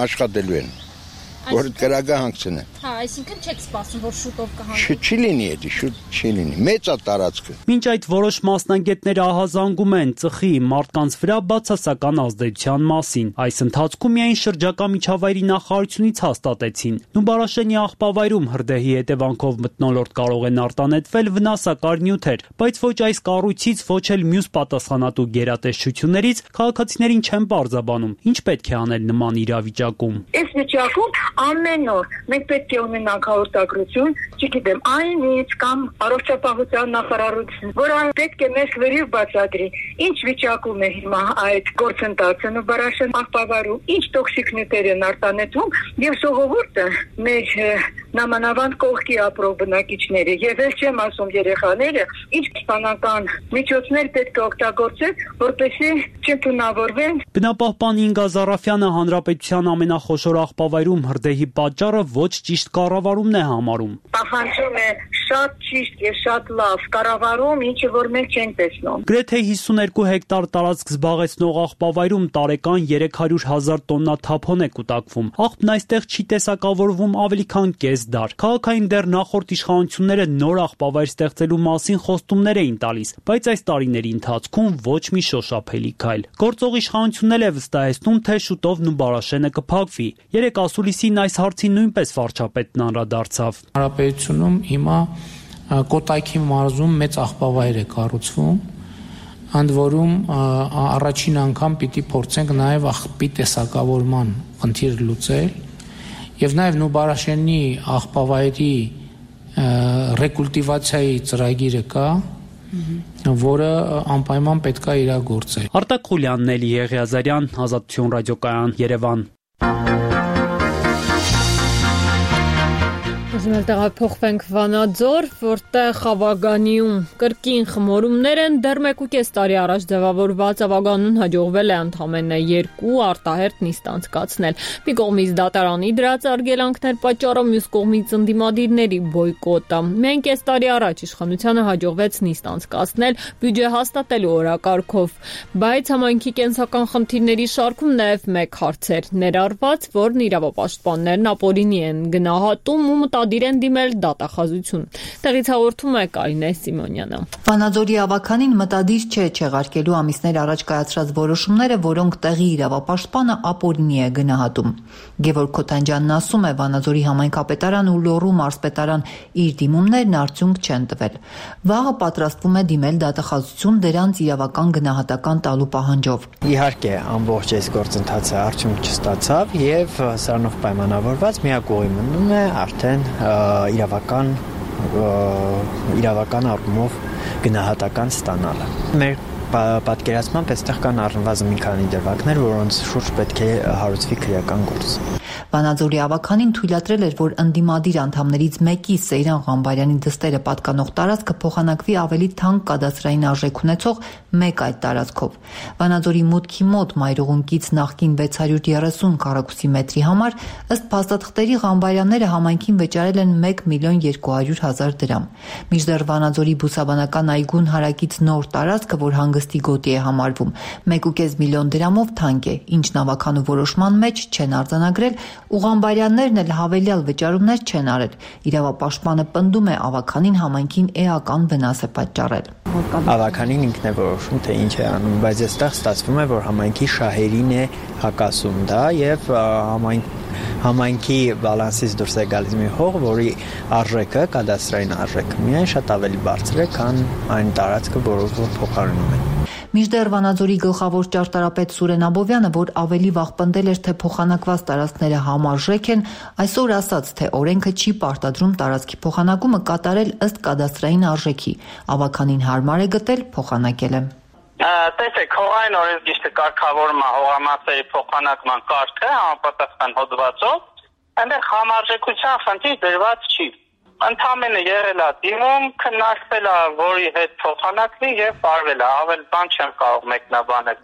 աշխատելու են, որ կրակը հանգցնեն։ Հա, այսինքն չեք սպասում, որ շուտով կհանգի։ Չի լինի էդի, շուտ չի լինի։ Մեծ է տարածքը։ Մինչ այդ որոշ մասնագետներ ահազանգում են ծխի մարդկանց վրա բացասական ազդեցության մասին։ Այս ընթացքում միայն շրջակա միջավայրի նախարարությունից հաստատեցին. Նուբարաշենի աղբավայրում հրդեհի հետևանքով մթնոլորտ կարող են արտանետվել վնասակար նյութեր, բայց ոչ այս կառույցից, ոչ էլ մյուս պատասխանատու գերատեսչություններից քաղաքացիներին չեն պարզաբանում, ինչ պետք է անել նման իրավիճակում։ Այս վիճակում ամեն օր մենք պետք պետք է ունենանք հաղորդագրություն, չգիտեմ, այն ինչ կամ առողջապահության նախարարություն, որ այն պետք է մեզ վերիվ բացատրի, ինչ վիճակում է հիմա այդ գործընթացը Նուբարաշեն աղբավարում, ինչ տոքսիկ նյութեր են արտանետվում եւ ժողովուրդը մեր նամանավանդ կողքի ապրող բնակիչները եւ էլ չեմ ասում երեխաները, ինչ սպանական միջոցներ պետք է օգտագործել, որպեսզի չընդունավորվեն։ Բնապահպան Ինգա Զարաֆյանը հանրապետության ամենախոշոր աղբավայրում հրդեհի պատճառը ոչ ճիշտ կառավարումն է համարում։ Պահանջում է շատ ճիշտ եւ շատ լավ կառավարում, ինչը որ մենք չենք տեսնում։ Գրեթե 52 հեկտար տարածք զբաղեցնող աղբավայրում տարեկան 300,000 տոննա թափոն է կուտակվում։ Աղբն այստեղ չի տեսակավորվում ավելի քան կես դար։ Քաղաքային դեռ նախորդ իշխանությունները նոր աղբավայր ստեղծելու մասին խոստումներ էին տալիս, բայց այս տարիների ընթացքում ոչ մի շոշափելի քայլ։ Գործող իշխանությունն էլ է վստահեցնում, թե շուտով Նուբարաշենը կփակվի։ Երեկ ասուլիսին այս հարցին նույնպես վարչապետն անդրադարձավ։ Հանրապետությունում հիմա Կոտայքի մարզում մեծ աղբավայր է կառուցվում, ընդ որում առաջին անգամ պիտի փորձենք նաև աղբի տեսակավորման խնդիրը լուծել եւ նաև Նուբարաշենի աղբավայրի ռեկուլտիվացիայի ծրագիրը կա, որը անպայման պետք է իրագործել։ Արտակ Խուլյանն, Էլի Եղիազարյան, Ազատություն ռադիոկայան, Երևան։ Ուզում տեղափոխվենք Վանաձոր, որտեղ Ավագանիում կրկին խմորումներ են, դեռ 1.5 տարի առաջ ձևավորված Ավագանուն հաջողվել է ընդամենը 2 արտահերթ նիստ անցկացնել։ Մի կողմից դատարանի դրած արգելանքներ պատճառով, մյուս կողմից ընդդիմադիրների բոյկոտը։ Միայն կես տարի առաջ իշխանությանը հաջողվեց նիստ անցկացնել բյուջե հաստատելու օրակարգով, բայց համայնքի կենսական խնդիրների շարքում նաև մեկ հարց էր ներառված, որն իրավապաշտպաններն ապօրինի են գնահատում ու մտադիր են դիմել դատախազություն։ Տեղից հաղորդում է Կարինե Սիմոնյանը։ Վանաձորի ավականին մտադիր չէ չեղարկելու ամիսներ առաջ կայացրած որոշումները, որոնք տեղի իրավապաշտպանը ապօրինի է գնահատում։ Գևորգ Քոթանջյանն ասում է, Վանաձորի համայնքապետարան ու Լոռու մարզպետարան իր դիմումներն արդյունք չեն տվել։ Վաղը պատրաստվում է դիմել դատախազություն դրանց իրավական գնահատական տալու պահանջով։ Իհարկե, ամբողջ այս գործընթացը արդյունք չստացավ եւ սրանով պայմանավորված միակ ուղի մնում է արդեն իրավական առումով գնահատական ստանալը։ Մեր պատկերացմամբ այստեղ կան առնվազն մի քանի դրվագներ, որոնց շուրջ պետք է հարուցվի քրեական գործ։ Վանաձորի ավականին թույլատրել էր, որ ընդդիմադիր անդամներից մեկի Սեյրան Ղամբարյանի դստերը պատկանող տարածքը փոխանակվի ավելի թանկ կադաստրային արժեք ունեցող մեկ այդ տարածքով։ Վանաձորի մուտքի մոտ մայրուղունկից նախկին 630 քառակուսի մետրի համար ըստ փաստաթղթերի Ղամբարյանները համայնքին վճարել են 1,200,000 դրամ։ Մինչդեռ Վանաձորի բուսաբանական այգուն հարակից նոր տարածքը, որ հանգստի գոտի է համարվում, 1.5 միլիոն դրամով թանկ է, ինչն ավականու որոշման մեջ չեն արձանագրել, ու Ղամբարյաններն էլ հավելյալ վճարումներ չեն արել։ Իրավապաշտպանը պնդում է, ավականին համայնքին էական վնաս է պատճառել։ Ավականին ինքն է որոշում, թե ինչ է անում, բայց այստեղ ստացվում է, որ համայնքի շահերին է հակասում դա եւ համայնքի բալանսից դուրս է գալիս մի հող, որի արժեքը, կադաստրային արժեքը միայն շատ ավելի բարձր է, քան այն տարածքը, որով որ փոխարինում են։ Մինչդեռ Վանաձորի գլխավոր ճարտարապետ Սուրեն Աբովյանը, որ ավելի վաղ պնդել էր, թե փոխանակված տարածքները համարժեք են, այսօր ասաց, թե օրենքը չի պարտադրում տարածքի փոխանակումը կատարել ըստ կադաստրային արժեքի։ Ավականին հարմար է գտել, փոխանակել է։ Տեսեք, հողային օրենսգիրքը կարգավորում է հողամասերի փոխանակման կարգը համապատասխան հոդվածով, այնտեղ համարժեքության խնդիր դրված չի։ Ընդամենը եղել է դիմում, քննարկվել է, որի հետ փոխանակվի եւ արվել է, ավել բան չեմ կարող մեկնաբանել։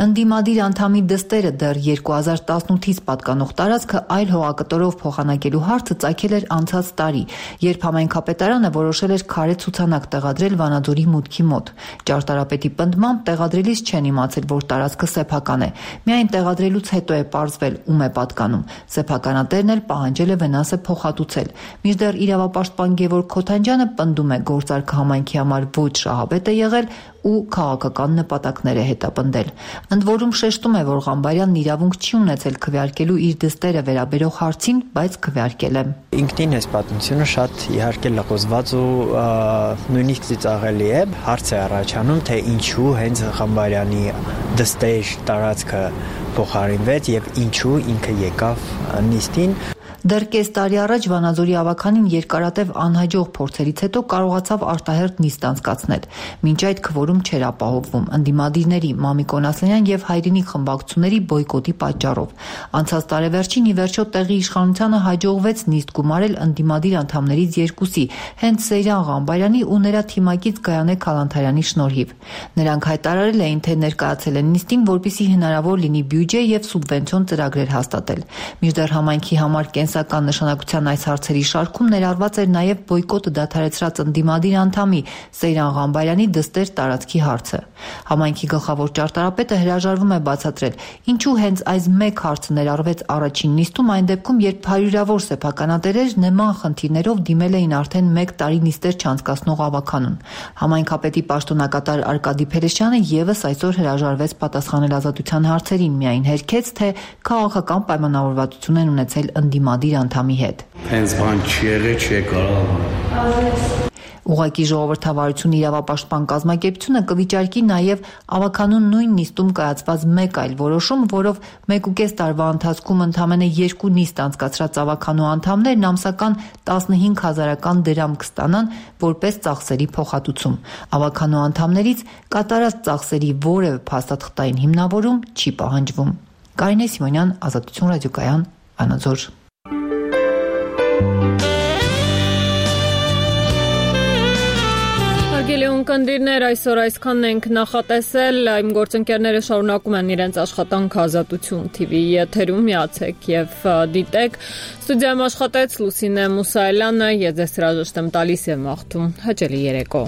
Ընդդիմադիր անդամի դստերը դեռ 2018-ից պատկանող տարածքը այլ հողակտորով փոխանակելու հարցը ծագել էր անցած տարի, երբ համայնքապետարանը որոշել էր քարե ցուցանակ տեղադրել Վանաձորի մուտքի մոտ։ Ճարտարապետի պնդմամբ տեղադրելիս չեն իմացել, որ տարածքը սեփական է։ Միայն տեղադրելուց հետո է պարզվել, ում է պատկանում։ Սեփականատերն էլ պահանջել է վնասը փոխհատուցել։ Մինչդեռ իրավապաշտպան Գևորգ Քոթանջյանը պնդում է, գործարքը համայնքի համար ոչ շահավետ է եղել ու քաղաքական նպատակներ է հետապնդել։ Ընդ որում շեշտում է, որ Ղամբարյանն իրավունք չի ունեցել քվեարկելու իր դստերը վերաբերող հարցին, բայց քվեարկել է։ Ինքնին այս պատմությունը շատ իհարկե լղոզված ու նույնիսկ ծիծաղելի է, հարց է առաջանում, թե ինչու հենց Ղամբարյանի դստեր տարածքը փոխարինվեց եւ ինչու ինքը եկավ նիստին։ Դեռ կես տարի առաջ Վանաձորի ավականին երկարատև անհաջող փորձերից հետո կարողացավ արտահերթ նիստ անցկացնել։ Մինչ այդ քվորում չէր ապահովվում ընդդիմադիրների Մամիկ Օնասյանյան եւ Հայրենիք խմբակցությունների բոյկոտի պատճառով։ Անցած տարեվերջին ի վերջո տեղի իշխանությանը հաջողվեց նիստ գումարել ընդդիմադիր անդամներից երկուսի, հենց Սեյրան Ղամբարյանի ու նրա թիմակից Գայանե Քալանթարյանի շնորհիվ։ Նրանք հայտարարել էին, թե ներկայացել են նիստին, որպեսզի հնարավոր լինի բյուջե եւ սուբվենցիոն ծրագրեր հաստատել։ Մինչդեռ համայնքի համար կենսական նշանակության այս հարցերի շարքում ներառված էր նաև բոյկոտը դադարեցրած ընդդիմադիր անդամի Սեյրան Ղամբարյանի դստեր տարածքի հարցը։ Համայնքի գլխավոր ճարտարապետը հրաժարվում է բացատրել, ինչու հենց այս մեկ հարցը ներառվեց առաջին նիստում, այն դեպքում, երբ հարյուրավոր սեփականատերեր նման խնդիրներով դիմել էին արդեն 1 տարի նիստեր չանցկացնող ավականուն։ Համայնքապետի պաշտոնակատար Արկադի Փելեշյանը եւս այսօր հրաժարվեց պատասխանել ազատության հարցերին, միայն հերքեց, թե քաղաքական պայմանավորվածություն են ունեցել ընդդիմադիր անդամի հետ։ Հենց բան չի եղել, չի կարող։ Ուղղակի ժողովրդավարություն իրավապաշտպան կազմակերպությունը կվիճարկի նաև ավականուն նույն նիստում կայացված մեկ այլ որոշում, որով 1.5 տարվա ընթացքում ընդամենը 2 նիստ անցկացրած ավականու անդամներն ամսական 15,000 դրամ կստանան որպես ծախսերի փոխհատուցում։ Ավականու անդամներից կատարած ծախսերի որևէ փաստաթղթային հիմնավորում չի պահանջվում։ Կարինե Սիմոնյան, Ազատություն ռադիոկայան, Վանաձոր։ Հարգելի ունկնդիրներ, այսօր այսքանն ենք նախատեսել, իմ գործընկերները շարունակում են իրենց աշխատանքը Ազատություն TV եթերում, միացեք եւ դիտեք։ Ստուդիայում աշխատեց Լուսինե Մուսայելյանը, ես ձեզ հրաժեշտ եմ տալիս եւ մաղթում հաճելի երեկո։